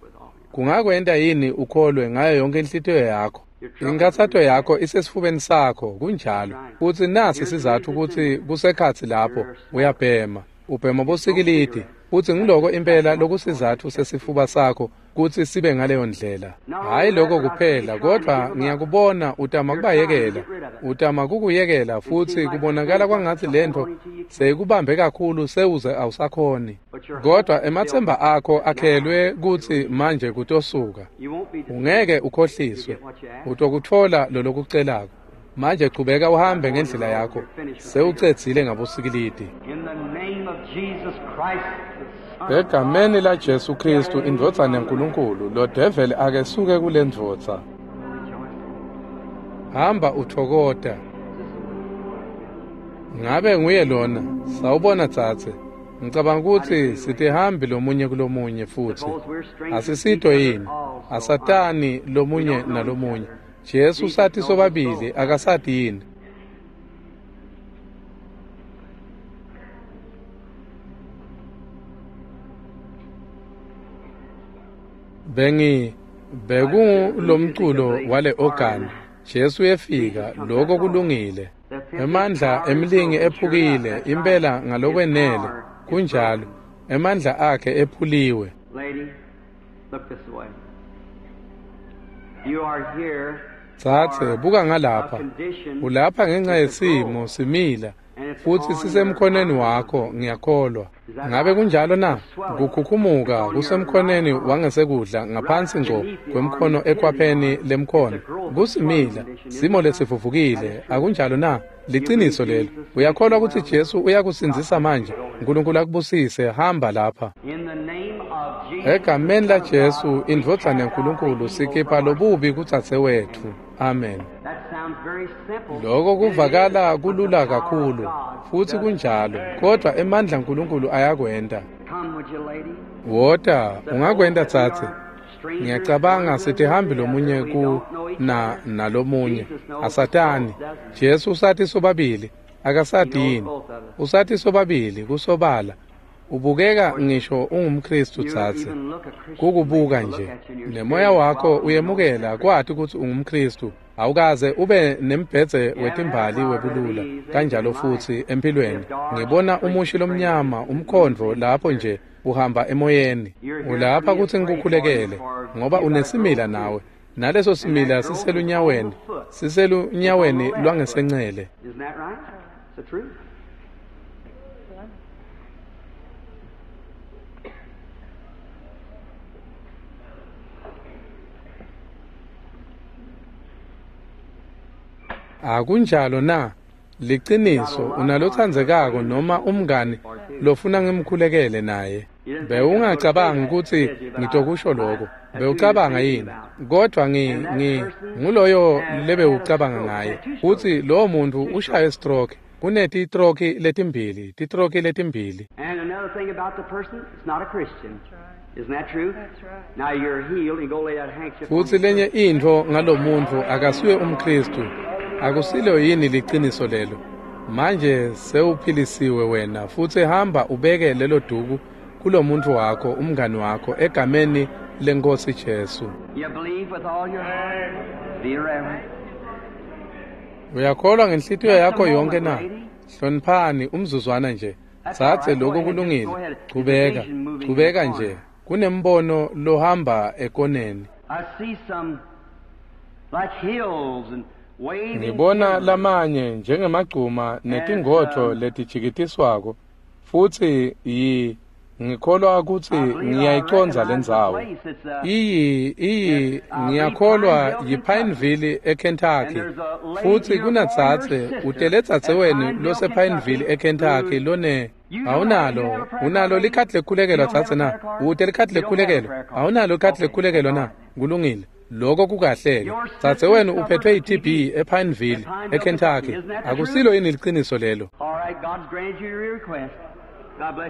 kungakwenta yini ukholwe ngayo yonke inhlitiyo yakho? Inkathato yakho isesifubeni sakho, kunjalo. Futsi nasi sizatfu kutsi kusekhatsi lapho uyabhema, ubhema bosikilidi, futsi ngiloko impela lokusizatfu sesifuba sakho kutsi sibe ngaleyo ndlela. Hhayi lokho kuphela, kodvwa ngiyakubona utama kubayekela, utama kukuyekela, futsi kubonakala kwangatsi lentfo seyikubambe kakhulu sewuze awusakhoni. Kodvwa ematsemba akho akhelwe kutsi manje kutosuka. Ungeke ukhohliswe, utokutfola lolokucelako. Manje chubeka uhambe ngendlela yakho, sewucedzile ngabosikilidi. Egameni la Jesu Kristu, indvodzana yaNkulunkulu, lo develi akesuke kule ndvodza. Hamba uthokota. Ngabe nguye lona? Sawubona dzadze. Ngicabanga kutsi sitihambi lomunye kulomunye futsi. Asisito yini? Asatani lomunye nalomunye. Jesu sati sobabili, akasati yini? Bengi bekungulomculo wale organ. Jesu uyefika, lokho kulungile. Emandla emlingi ephukile impela ngalokwenele, kunjalo. Emandla akhe ephuliwe. Tsatse, buka ngalapha. Ulapha ngenxa yesimo simila, futsi sisemkhoneni wakho, ngiyakholwa. Ngabe kunjalo na? Kukhukhumuka kusemkhoneni wangesekudla ngaphansi ngco kwemkhono ekhwapheni lemkhono. Kusimila, simo lesivuvukile, akunjalo na? Liciniso lelo. Uyakholwa kutsi Jesu uyakusindzisa manje? Nkulunkulu akubusise, hamba lapha. Egameni la Jesu, indvodzana yaNkulunkulu, sikhipha lobubi kudzadze wetfu. Amen. Lokho kuvakala kulula kakhulu, futsi kunjalo, kodvwa emandla aNkulunkulu ayakwenta. Wota, ungakwenta tsatse. Ngiyacabanga sitihambi lomunye ku na nalomunye. Asatani. Jesu usati sobabili, akasati yini? Usati sobabili, kusobala. Ubukeka ngisho ungumKristu tsatse. Kukubuka nje. Nemoya wakho uyemukela kwati kutsi ungumKristu. Awukaze ube nembhedze wetimbali webulula kanjalo futsi empilweni. Ngibona umushi lomnyama, umkhondvo lapho nje uhamba emoyeni. Ulapha kutsi ngikukhulekele ngoba unesimila nawe. Naleso simila siselunyaweni, siselunyaweni lwangesencele. Akunjalo na? Liciniso, unalotsandzekako noma umngani lofuna ngimkhulekele naye. Bewungacabangi kutsi ngitokusho lokho. Bewucabanga yini? Kodwa ngi ngi nguloyo lebewucabanga ngaye. Futsi lowo muntu ushaye stroke. Kunetitroki letimbili, titroki letimbili. And another thing about the person, it's not a Christian. Isn't that true? That's right. Now you're healed and go lay that handkerchief on Futsi lenye intfo ngalomuntfu akasuye umKristu. Akusilo yini liciniso lelo? Manje sewuphilisiwe wena, futsi hamba ubeke lelo duku kulomuntu wakho, umngani wakho, egameni leNkosi Jesu. You believe with all your heart? Be reverent. Uyakholwa ngenhlitiyo yakho yonke na? Hloniphani umzuzwana nje. Tsatse lokho kulungile. Chubeka, chubeka nje. Kunembono lohamba ekoneni. I see some like hills and waving Ngibona timber. lamanye njengemagcuma netingodvo letijikitiswako, futsi yi Ngikholwa kutsi ngiyayicondza lendzawo. Iyi iyi ngiyakholwa yiPineville eKentucky. Futsi kunadzadze utele dzadzewenu losePineville eKentucky lone awunalo unalo likhadi lekukhulekelwa dzadze na? Ute likhadi lekukhulekelwa? Awunalo likhadi lekukhulekelwa na? Kulungile. Lokho kukahle-ke. Dzadzewenu uphethwe yi-T B ePineville eKentucky. Akusilo yini liciniso lelo?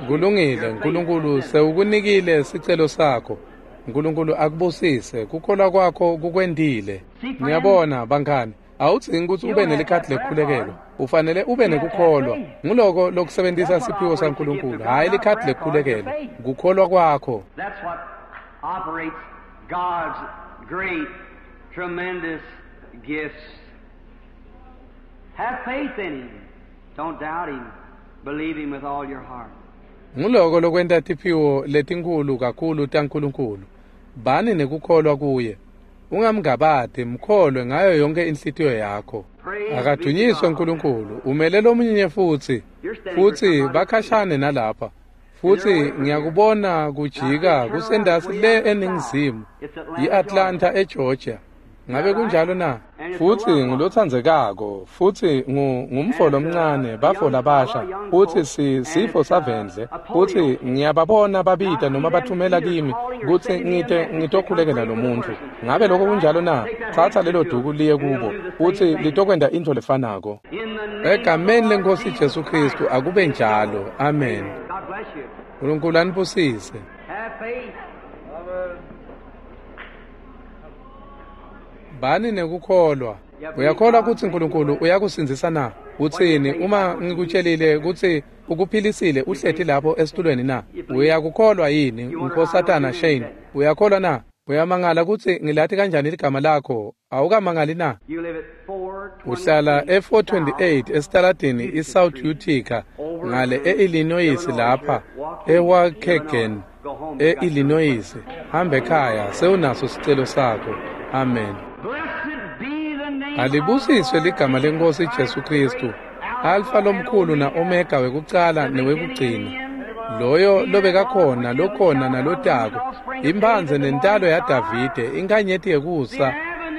Kulungile, Nkulunkulu sewukunikile sicelo sakho. Nkulunkulu akubusise, kukholwa kwakho kukwentile. Ngiyabona bangani, awudzingi kutsi ube nelikhadi lekukhulekelwa. Ufanele ube nekukholwa. Nguloko lokusebentisa siphiwo saNkulunkulu, hhayi likhadi lekukhulekelwa. Kukholwa kwakho. That's what operates God's great, tremendous gifts. Have faith in Him. Don't doubt Him. Believe Him with all your heart. Nguloko lokwenta tiphiwo letinkhulu kakhulu taNkulunkulu. Bani nekukholwa kuye. Ungamngabati, mkholwe ngayo yonke inhlitiyo yakho. Akadunyiswe uNkulunkulu. Umele lomunye futsi. Futsi bakhashane nalapha. Futsi ngiyakubona kujika kusendasi le eningizimu, i-Atlanta eGeorgia. Ngabe kunjalo na? Futsi ngulotsandzekako, futsi ngumfo lomncane, bafo labasha, futsi si sifo savendle, futsi ngiyababona babita noma bathumela kimi kutsi ngite ngitokhulekela lo muntfu. Ngabe lokho kunjalo na? Tsatsa lelo duku liye kubo, futsi litokwenta intfo lefanako. Egameni leNkhosi Jesu Khristu akube njalo. Amen. Nkulunkulu anibusise. Bani nekukholwa. Uyakholwa kutsi Nkulunkulu uyakusindzisa na? Utsini uma ngikutshelile kutsi ukuphilisile uhleti lapho esitulweni na? Uyakukholwa yini, Nkhosatana Shane? Uyakholwa na? Uyamangala kutsi ngilati kanjani ligama lakho? Awukamangali na? Uhlala e-four twenty-eight esitaladini i-South Utica ngale e-Illinois lapha eWaukegan e-Illinois. Hamba ekhaya sewunaso sicelo sakho. Amen. Alibusiswe ligama leNkhosi Jesu Khristu, Alfa lomkhulu na-Omega wekucala newekugcina, loyo lobekakhona, lokhona nalotako, imphandze nentalo yaDavide, inkanyeti yekusa,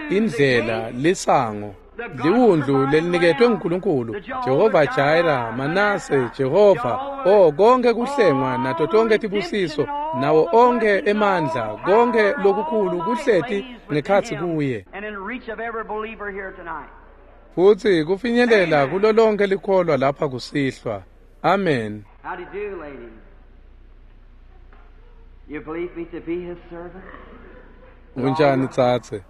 indlela, lisango, liwundlu leliniketwe nguNkulunkulu, Jehova Jireh, Manase, Jehova, oh konke kuhlengwa nato tonke tibusiso, nawo onke emandla, konke lokukhulu kuhleti ngekhatsi kuye. Futsi kufinyelela kulo lonke likholwa lapha kusihlwa. Amen. How do you do, lady? You believe me to be his servant? Unjani tsatse?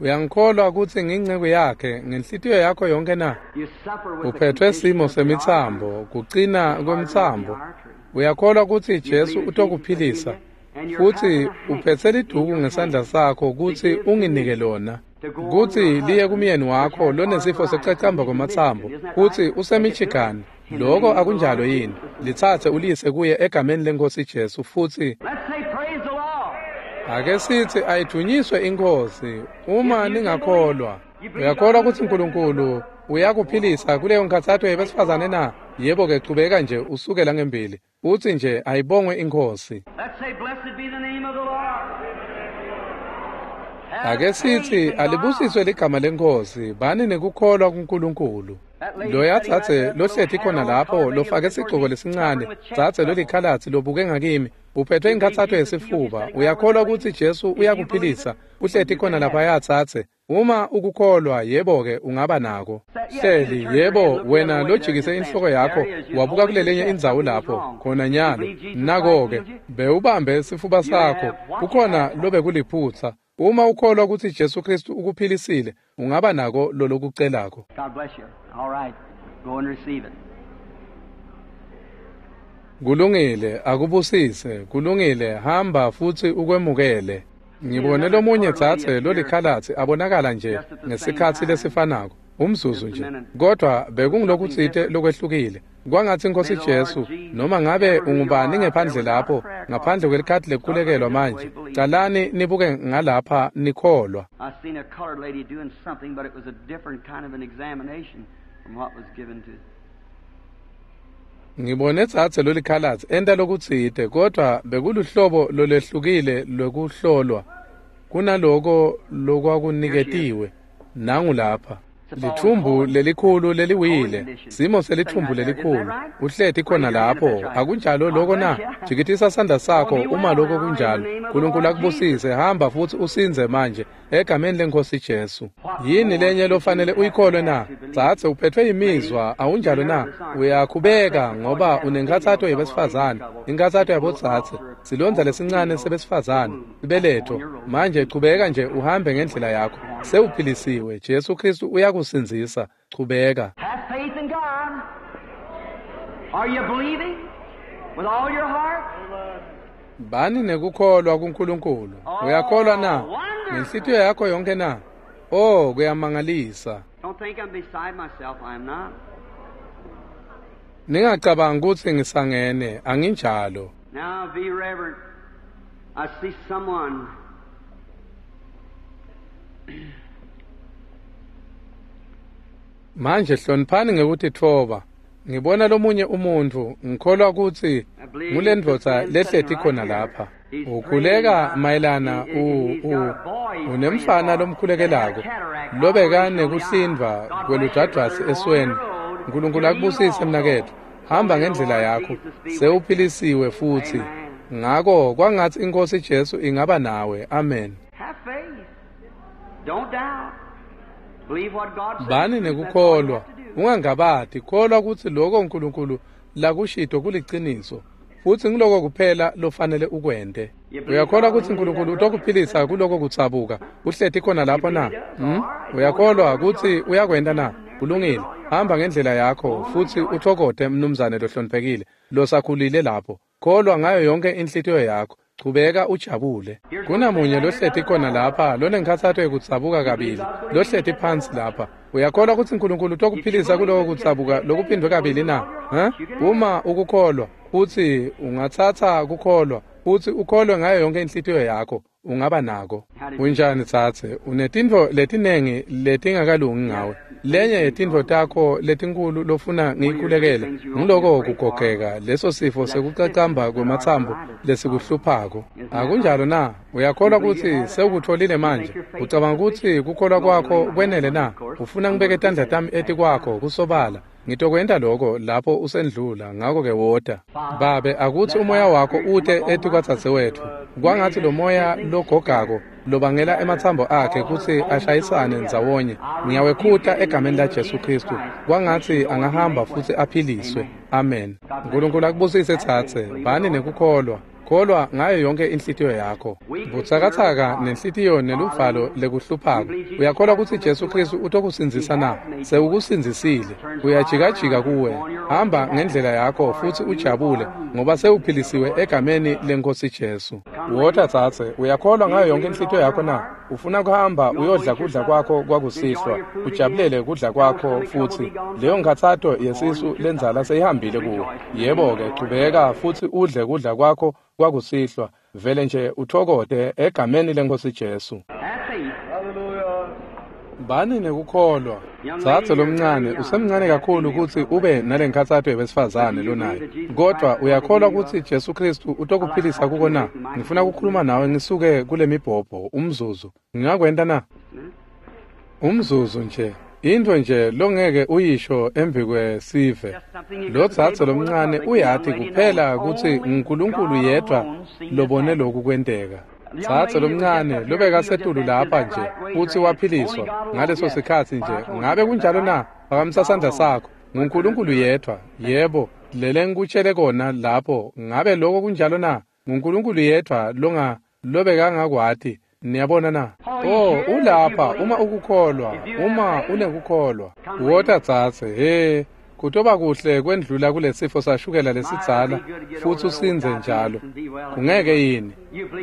Uyangikholwa kutsi ngingceku yakhe ngenhlitiyo yakho yonke na? Uphethwe simo semitsambo, kucina kwemtsambo. Uyakholwa kutsi Jesu utokuphilisa, futsi uphetse liduku ngesandla sakho kutsi unginike lona, kutsi liye kumyeni wakho lonesifo sekucacamba kwematsambo, kutsi useMichigan. Lokho akunjalo yini? Litsatse uliyise kuye egameni leNkhosi Jesu futsi ake sithi ayidvunyiswe iNkhosi uma ningakholwa. Uyakholwa kutsi Nkulunkulu uyakuphilisa kuleyo nkhatsato yebesifazane na? Yebo ke, chubeka nje usukela ngembili. Utsi nje ayibongwe iNkhosi. Ake sithi alibusiswe ligama leNkhosi, bani nekukholwa kuNkulunkulu. Loya tsatse lohleti khona lapho lofake sigcoko lesincane, tsatse lolikhalatsi lobuke ngakimi, uphethwe inkhatsato yesifuba. Uyakholwa kutsi Jesu uyakuphilisa? Uhleti khona lapha tsatse. Uma ukukholwa, yebo-ke ungaba nako. Hleli, yebo, wena lojikise inhloko yakho wabuka kulelenye indzawo lapho khona nyalo. Nako-ke bewubambe sifuba sakho, kukhona lobekuliphutsa. Uma ukholwa kutsi Jesu Khristu ukuphilisile, ungaba nako lolokucelako. God bless you. All right. Go and receive it. Kulungile, akubusise. Kulungile, hamba futsi ukwemukele. Ngibone lomunye tsatse lolikhalatsi abonakala nje ngesikhatsi lesifanako, umzuzu nje. Kodwa bekungulokutsite lokwehlukile. Kwangatsi Inkosi Jesu, noma ngabe ungubani ngephandle lapho, ngaphandle kwelikhadi lekukhulekelwa manje, calani nibuke ngalapha nikholwa. I seen a colored lady doing something, but it was a different kind of an examination from what was given to. Ngibone tsatse lolikhalatsi enta lokutsite, kodwa bekuluhlobo lolwehlukile lwekuhlolwa kunaloko lokwakuniketiwe. Nangu lapha. Lithumbu lelikhulu leliwile, simo selithumbu lelikhulu. Uhleti khona lapho, akunjalo lokho na? Jikitisa sandla sakho uma lokho kunjalo. Nkulunkulu akubusise, hamba futhi usindze manje egameni leNkosi Jesu. Yini lenye lofanele uyikholwe na? Tsatse uphethwe imizwa, awunjalo na? Uyakhubeka ngoba unenkhathato yebesifazane, inkhathato yabotsatse, silondza lesincane sebesifazane, sibeletho. Manje chubeka nje uhambe ngendlela yakho. Sewuphilisiwe, Jesu Kristu uyakusindzisa. Chubeka. Have faith in God. Are you believing with all your heart? Bani nekukholwa kuNkulunkulu. Uyakholwa na? Ngenhlitiyo yakho yonke na? Oh, kuyamangalisa. Don't think I'm beside myself. I'm not. Ningacabangi kutsi ngisangene, anginjalo. Now be reverent. I see someone. Manje hloniphani ngekutitfoba. Ngibona lomunye umuntu, ngikholwa kutsi ngulendvodza lehleti khona lapha. Ukhuleka mayelana u u unemfana lomkhulekelako lobeka nekuhlindvwa kweludwadvwasi esweni. Nkulunkulu akubusise mnaketfu. Hamba ngendlela yakho, sewuphilisiwe futhi. Ngako kwangatsi iNkosi Jesu ingaba nawe. Amen. Have faith. Don't doubt. Believe what God says. Bani nekukholwa, ungangabati, kholwa kutsi lokho uNkulunkulu lakushito kuliciniso, futsi ngiloko kuphela lofanele ukwente. Uyakholwa kutsi uNkulunkulu utokuphilisa kuloko kutsabuka uhleti khona lapho na? Hmm? Uyakholwa kutsi uyakwenta na? Kulungile. Hamba ngendlela yakho futsi uthokote mnumzane lohloniphekile losakhulile lapho. Kholwa ngayo yonke inhlitiyo yakho. Chubeka ujabule. Kunamunye lohleti khona lapha lonenkhatsato yekutsabuka kabili, lohleti phansi lapha. Uyakholwa kutsi uNkulunkulu utokuphilisa kuloko kutsabuka lokuphindwe kabili na? Ha? Uma ukukholwa, futsi ungatsatsa kukholwa, futsi ukholwe ngayo yonke inhlitiyo yakho, ungaba nako. Unjani tsatse? Unetintfo letinengi letingakalungi ngawe. Lenye yetintfo takho letinkulu lofuna ngiyikhulekele ngiloko kugogeka, leso sifo sekucacamba kwematsambo lesikuhluphako. Akunjalo na? Uyakholwa kutsi sewukutfolile manje? Ucabanga kutsi kukholwa kwakho kwenele na? Ufuna ngibeke tandla tami etikwakho kusobala? Ngitokwenta lokho lapho usendlula, ngako-ke wota. Babe, akutsi umoya wakho ute etikwadzadzewetfu. Kwangatsi lo moya logogako lobangela ematsambo akhe kutsi ashayisane ndzawonye, ngiyawekhuta egameni laJesu Kristu. Kwangatsi angahamba futsi aphiliswe. Amen. Nkulunkulu akubusise tsatse. Bani nekukholwa. Kholwa ngayo yonke inhlitiyo yakho. Butsakatsaka nenhlitiyo neluvalo lekuhluphako. Uyakholwa kutsi Jesu Kristu utokusindzisa na? Sewukusindzisile. Uyajikajika kuwe. Hamba ngendlela yakho futsi ujabule ngoba sewuphilisiwe egameni leNkosi Jesu. Wota tsatse, uyakholwa ngayo yonke inhlitiyo yakho na? Ufuna kuhamba uyodla kudla kwakho kwakusihlwa, ujabulele kudla kwakho futsi. Leyo nkhatsato yesisu lendzala seyihambile kuwe. Yebo-ke, chubeka futsi udle kudla kwakho kwakusihlwa, vele nje uthokote egameni leNkosi Jesu. Have faith. Bani nekukholwa. Tsatse lomncane, usemncane kakhulu kutsi ube nalenkhatsato yebesifazane lonayo, kodwa uyakholwa kutsi Jesu Kristu utokuphilisa kuko na? Ngifuna ukukhuluma nawe ngisuke kule mibhobho umzuzu. Ngingakwenta na? Umzuzu nje. Intfo nje longeke uyisho embikwesive. Lo tsatse lomncane uyati kuphela kutsi nguNkulunkulu yedvwa lobone lokhu kwenteka. Tsatse lomncane lobekasetulu lapha nje futsi waphiliswa ngaleso sikhatsi nje. Ngabe kunjalo na? Phakamisa sandla sakho. NguNkulunkulu yedvwa. Yebo, lele ngikutshele kona lapho. Ngabe lokho kunjalo na? NguNkulunkulu yedvwa longa lobekangakwati. Niyabona na? Oh, ulapha uma ukukholwa, uma unekukholwa. Wota tsatse, he, kutoba kuhle kwendlula kulesifo sashukela lesidzala futsi usindze njalo. Kungeke yini?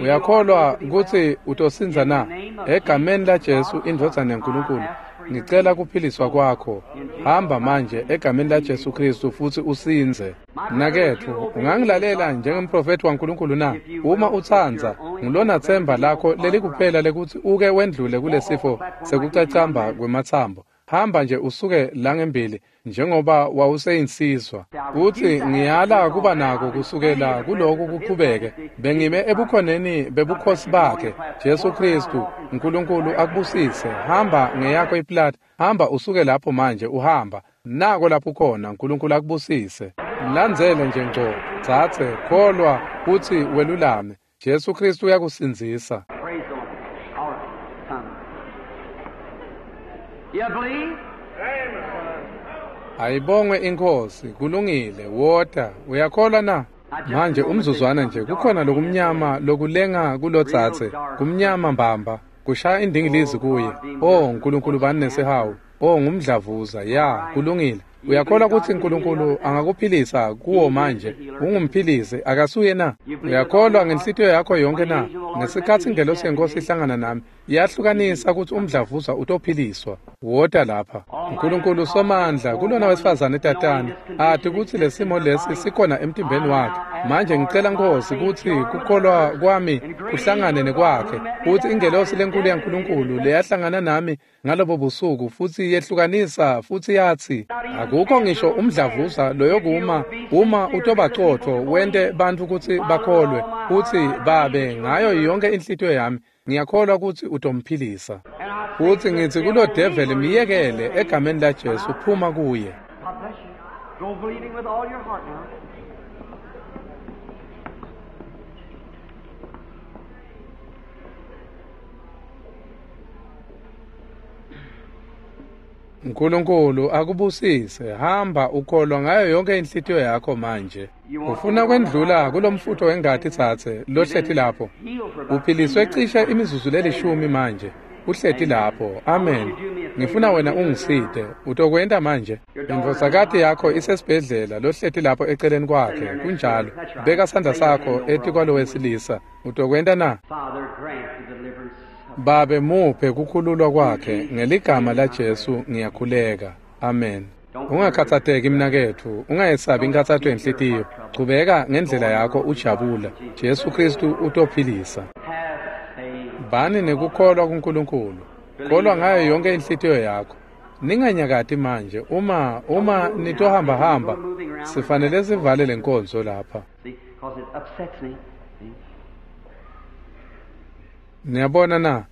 Uyakholwa kutsi utosindza na? Egameni laJesu indvodzana yaNkulunkulu, ngicela kuphiliswa kwakho. Hamba manje egameni laJesu Kristu futsi usindze. Mnaketfu, ungangilalela njengemprofethi waNkulunkulu na? Uma utsandza, ngulona tsemba lakho lelikuphela lekutsi uke wendlule kulesifo sekucacamba kwematsambo. Hamba nje usuke la ngembili njengoba wawuseyinsizwa. Uthi ngiyala kuba nako kusukela kuloku kuqhubeke. Bengime ebukhoneni bebukhosi bakhe Jesu Kristu. uNkulunkulu akubusise. Hamba ngeyakho iplati. Hamba usuke lapho manje uhamba. Nako lapho khona. uNkulunkulu akubusise. Mlandzele nje ngco. Tsatse kholwa kutsi welulame. Jesu Kristu uyakusindzisa. Praise the Lord. All right, come. You believe? Ayibongwe inkosi. Kulungile. Wota. Uyakholwa na? Manje umzuzwana nje kukhona lokumnyama lokulenga kulotsatse. Kumnyama mbamba. Kushaya indingilizi kuye. Oh uNkulunkulu bani nesihawu. Oh ngumdlavuza. Ya, kulungile. Uyakholwa kutsi uNkulunkulu angakuphilisa kuwo manje? Ungumphilisi akasuye na? Uyakholwa ngenhlitiyo yakho yonke na? Ngesikhatsi ingelosi yenkosi ihlangana nami, iyahlukanisa kutsi umdlavuza utophiliswa. Wota lapha. uNkulunkulu somandla kulona wesifazane tatane ati kutsi lesimo lesi sikhona emtimbeni wakhe. Manje ngicela Nkosi kutsi kukholwa kwami kuhlangane nekwakhe, kutsi ingelosi lenkulu yaNkulunkulu leyahlangana nami ngalobo busuku futsi yehlukanisa futsi yatsi akukho ngisho umdlavuza loyokuma uma utobacotfo wente bantfu kutsi bakholwe kutsi babe ngayo yonke inhlitiyo yami ngiyakholwa kutsi utomphilisa. Futsi ngitsi kulo devil miyekele egameni la Jesu phuma kuye. God bless you. Go believing with all your heart now. uNkulunkulu akubusise. Hamba ukholwa ngayo yonke inhlitiyo yakho manje. Ufuna kwendlula kulomfutho wengati tsatse lohleti lapho. Uphiliswe cishe imizuzu lelishumi manje. Uhleti lapho. Amen. Ngifuna wena ungisite. Utokwenta manje. Indvodzakati yakho isesibhedlela lohleti lapho eceleni kwakhe. Kunjalo. Beka sandla sakho etikwalowesilisa. Utokwenta na? Father, grant the deliverance. Babe muphe kukhululwa kwakhe ngeligama la Jesu ngiyakhuleka. Amen. Ungakhatsateki mnaketfu, ungayesabi inkhatsato yenhlitiyo. Chubeka ngendlela yakho ujabula. Jesu Kristu utophilisa. Have faith. Bani nekukholwa kuNkulunkulu. Kholwa ngayo yonke inhlitiyo yakho. Ninganyakati manje. Uma uma nitohamba hamba, sifanele sivale lenkonzo lapha. See, because it upsets me. See? Niyabona na?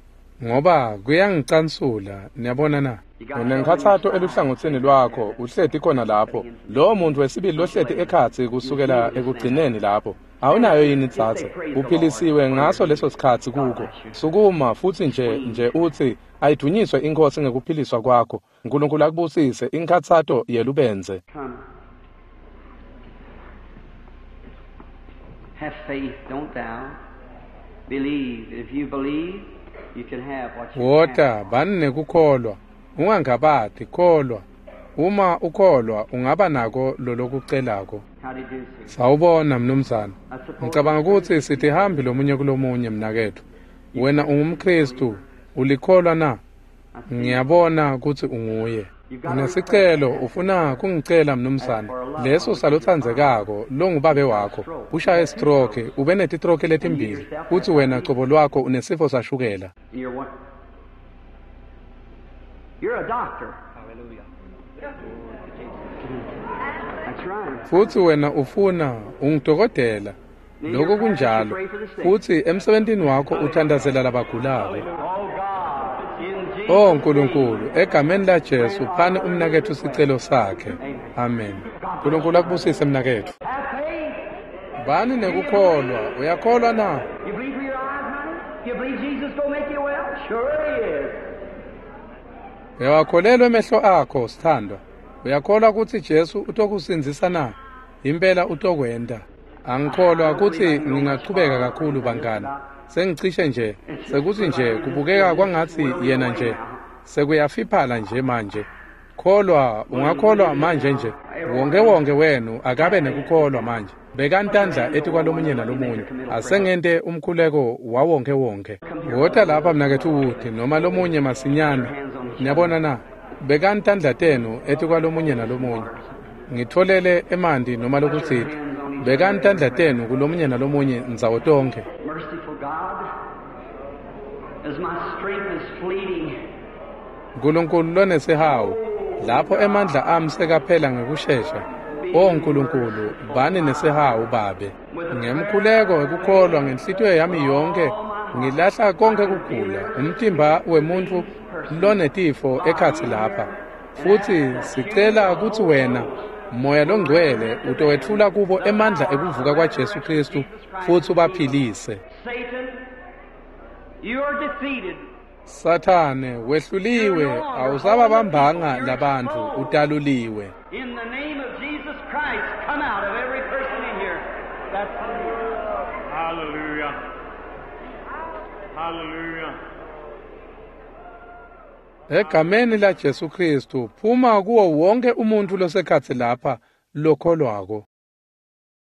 Ngoba kuyangicansula. Niyabona na? Unenkhatsato eluhlangotsini lwakho, uhleti khona lapho. Lowo muntu wesibili lohleti ekhatsi kusukela ekugcineni lapho. Awunayo yini tsatse? Uphilisiwe ngaso leso sikhatsi kuko. Sukuma futsi nje nje utsi ayidunyiswe inkosi ngekuphiliswa kwakho. uNkulunkulu akubusise inkhatsato yelubenze. Come. Have faith, don't thou? Believe. If you believe, you can have what you Wota have. bani nekukholwa. Ungangabati kholwa. Uma ukholwa ungaba nako lolokucelako. How do you do, sir? Sawubona mnumzane. I suppose Ngicabanga ukuthi sitihambi lomunye kulomunye mnaketfu. Wena ungumKristu, ulikholwa na? I see. Ngiyabona kutsi unguye. Unesicelo ufuna kungicela mnumzane. Leso salotsandzekako longubabe wakho. Ushaye stroke, ube netitroke letimbili. Kutsi wena cobo lwakho unesifo sashukela. And you're what? You're a doctor. Hallelujah. That's right. Futsi wena ufuna ungidokotela. Lokho kunjalo. Futsi emsebentini wakho uthandazela labagulako. Oh God, in Jesus' Oh uNkulunkulu, egameni la Jesu phani umnaketfu sicelo sakhe. Amen. uNkulunkulu akubusise mnaketfu. Have faith. Bani nekukholwa, uyakholwa na? You believe for your eyes, honey? You believe Jesus gonna make you well? Sure he is. Uyawakholelwa emehlo akho, sithandwa. Uyakholwa kutsi Jesu utokusindzisa na? Impela utokwenta. Angikholwa kutsi ngingachubeka kakhulu bangani. Sengicishe nje, sekuthi nje kubukeka kwangatsi yena nje sekuyafiphala nje manje. Kholwa, ungakholwa manje nje. Wonke wonke wenu akabe nekukholwa manje. Bekani tandla etikwalomunye nalomunye. Asengente umkhuleko wawonke wonke. Wota lapha mnaketfu Wood noma lomunye masinyane. Niyabona na? Bekani tandla tenu etikwalomunye nalomunye. Ngitfolele emanti noma lokutsite. Bekani tandla tenu kulomunye nalomunye ndzawo tonkhe. Merciful God, as my strength is fleeting, Nkulunkulu lonesihawu, lapho emandla ami sekaphela ngekushesha, O Nkulunkulu, bani nesihawu Babe. Ngemkhuleko wekukholwa ngenhlitiyo yami yonkhe ngilahla konkhe kugula, umtimba wemuntfu lonetifo ekhatsi lapha. Futsi sicela kutsi wena, Moya loNgcwele, utowetfula kubo emandla ekuvuka kwaJesu Khristu futsi ubaphilise. Satan, you are defeated. Sathane, wehluliwe, awusababambanga labantfu, utaluliwe. In the name of Jesus Christ, come out of every person in here. That's Hallelujah. Hallelujah. Egameni la Jesu Khristu, phuma kuwo wonke umuntfu losekhatsi lapha lokholwako.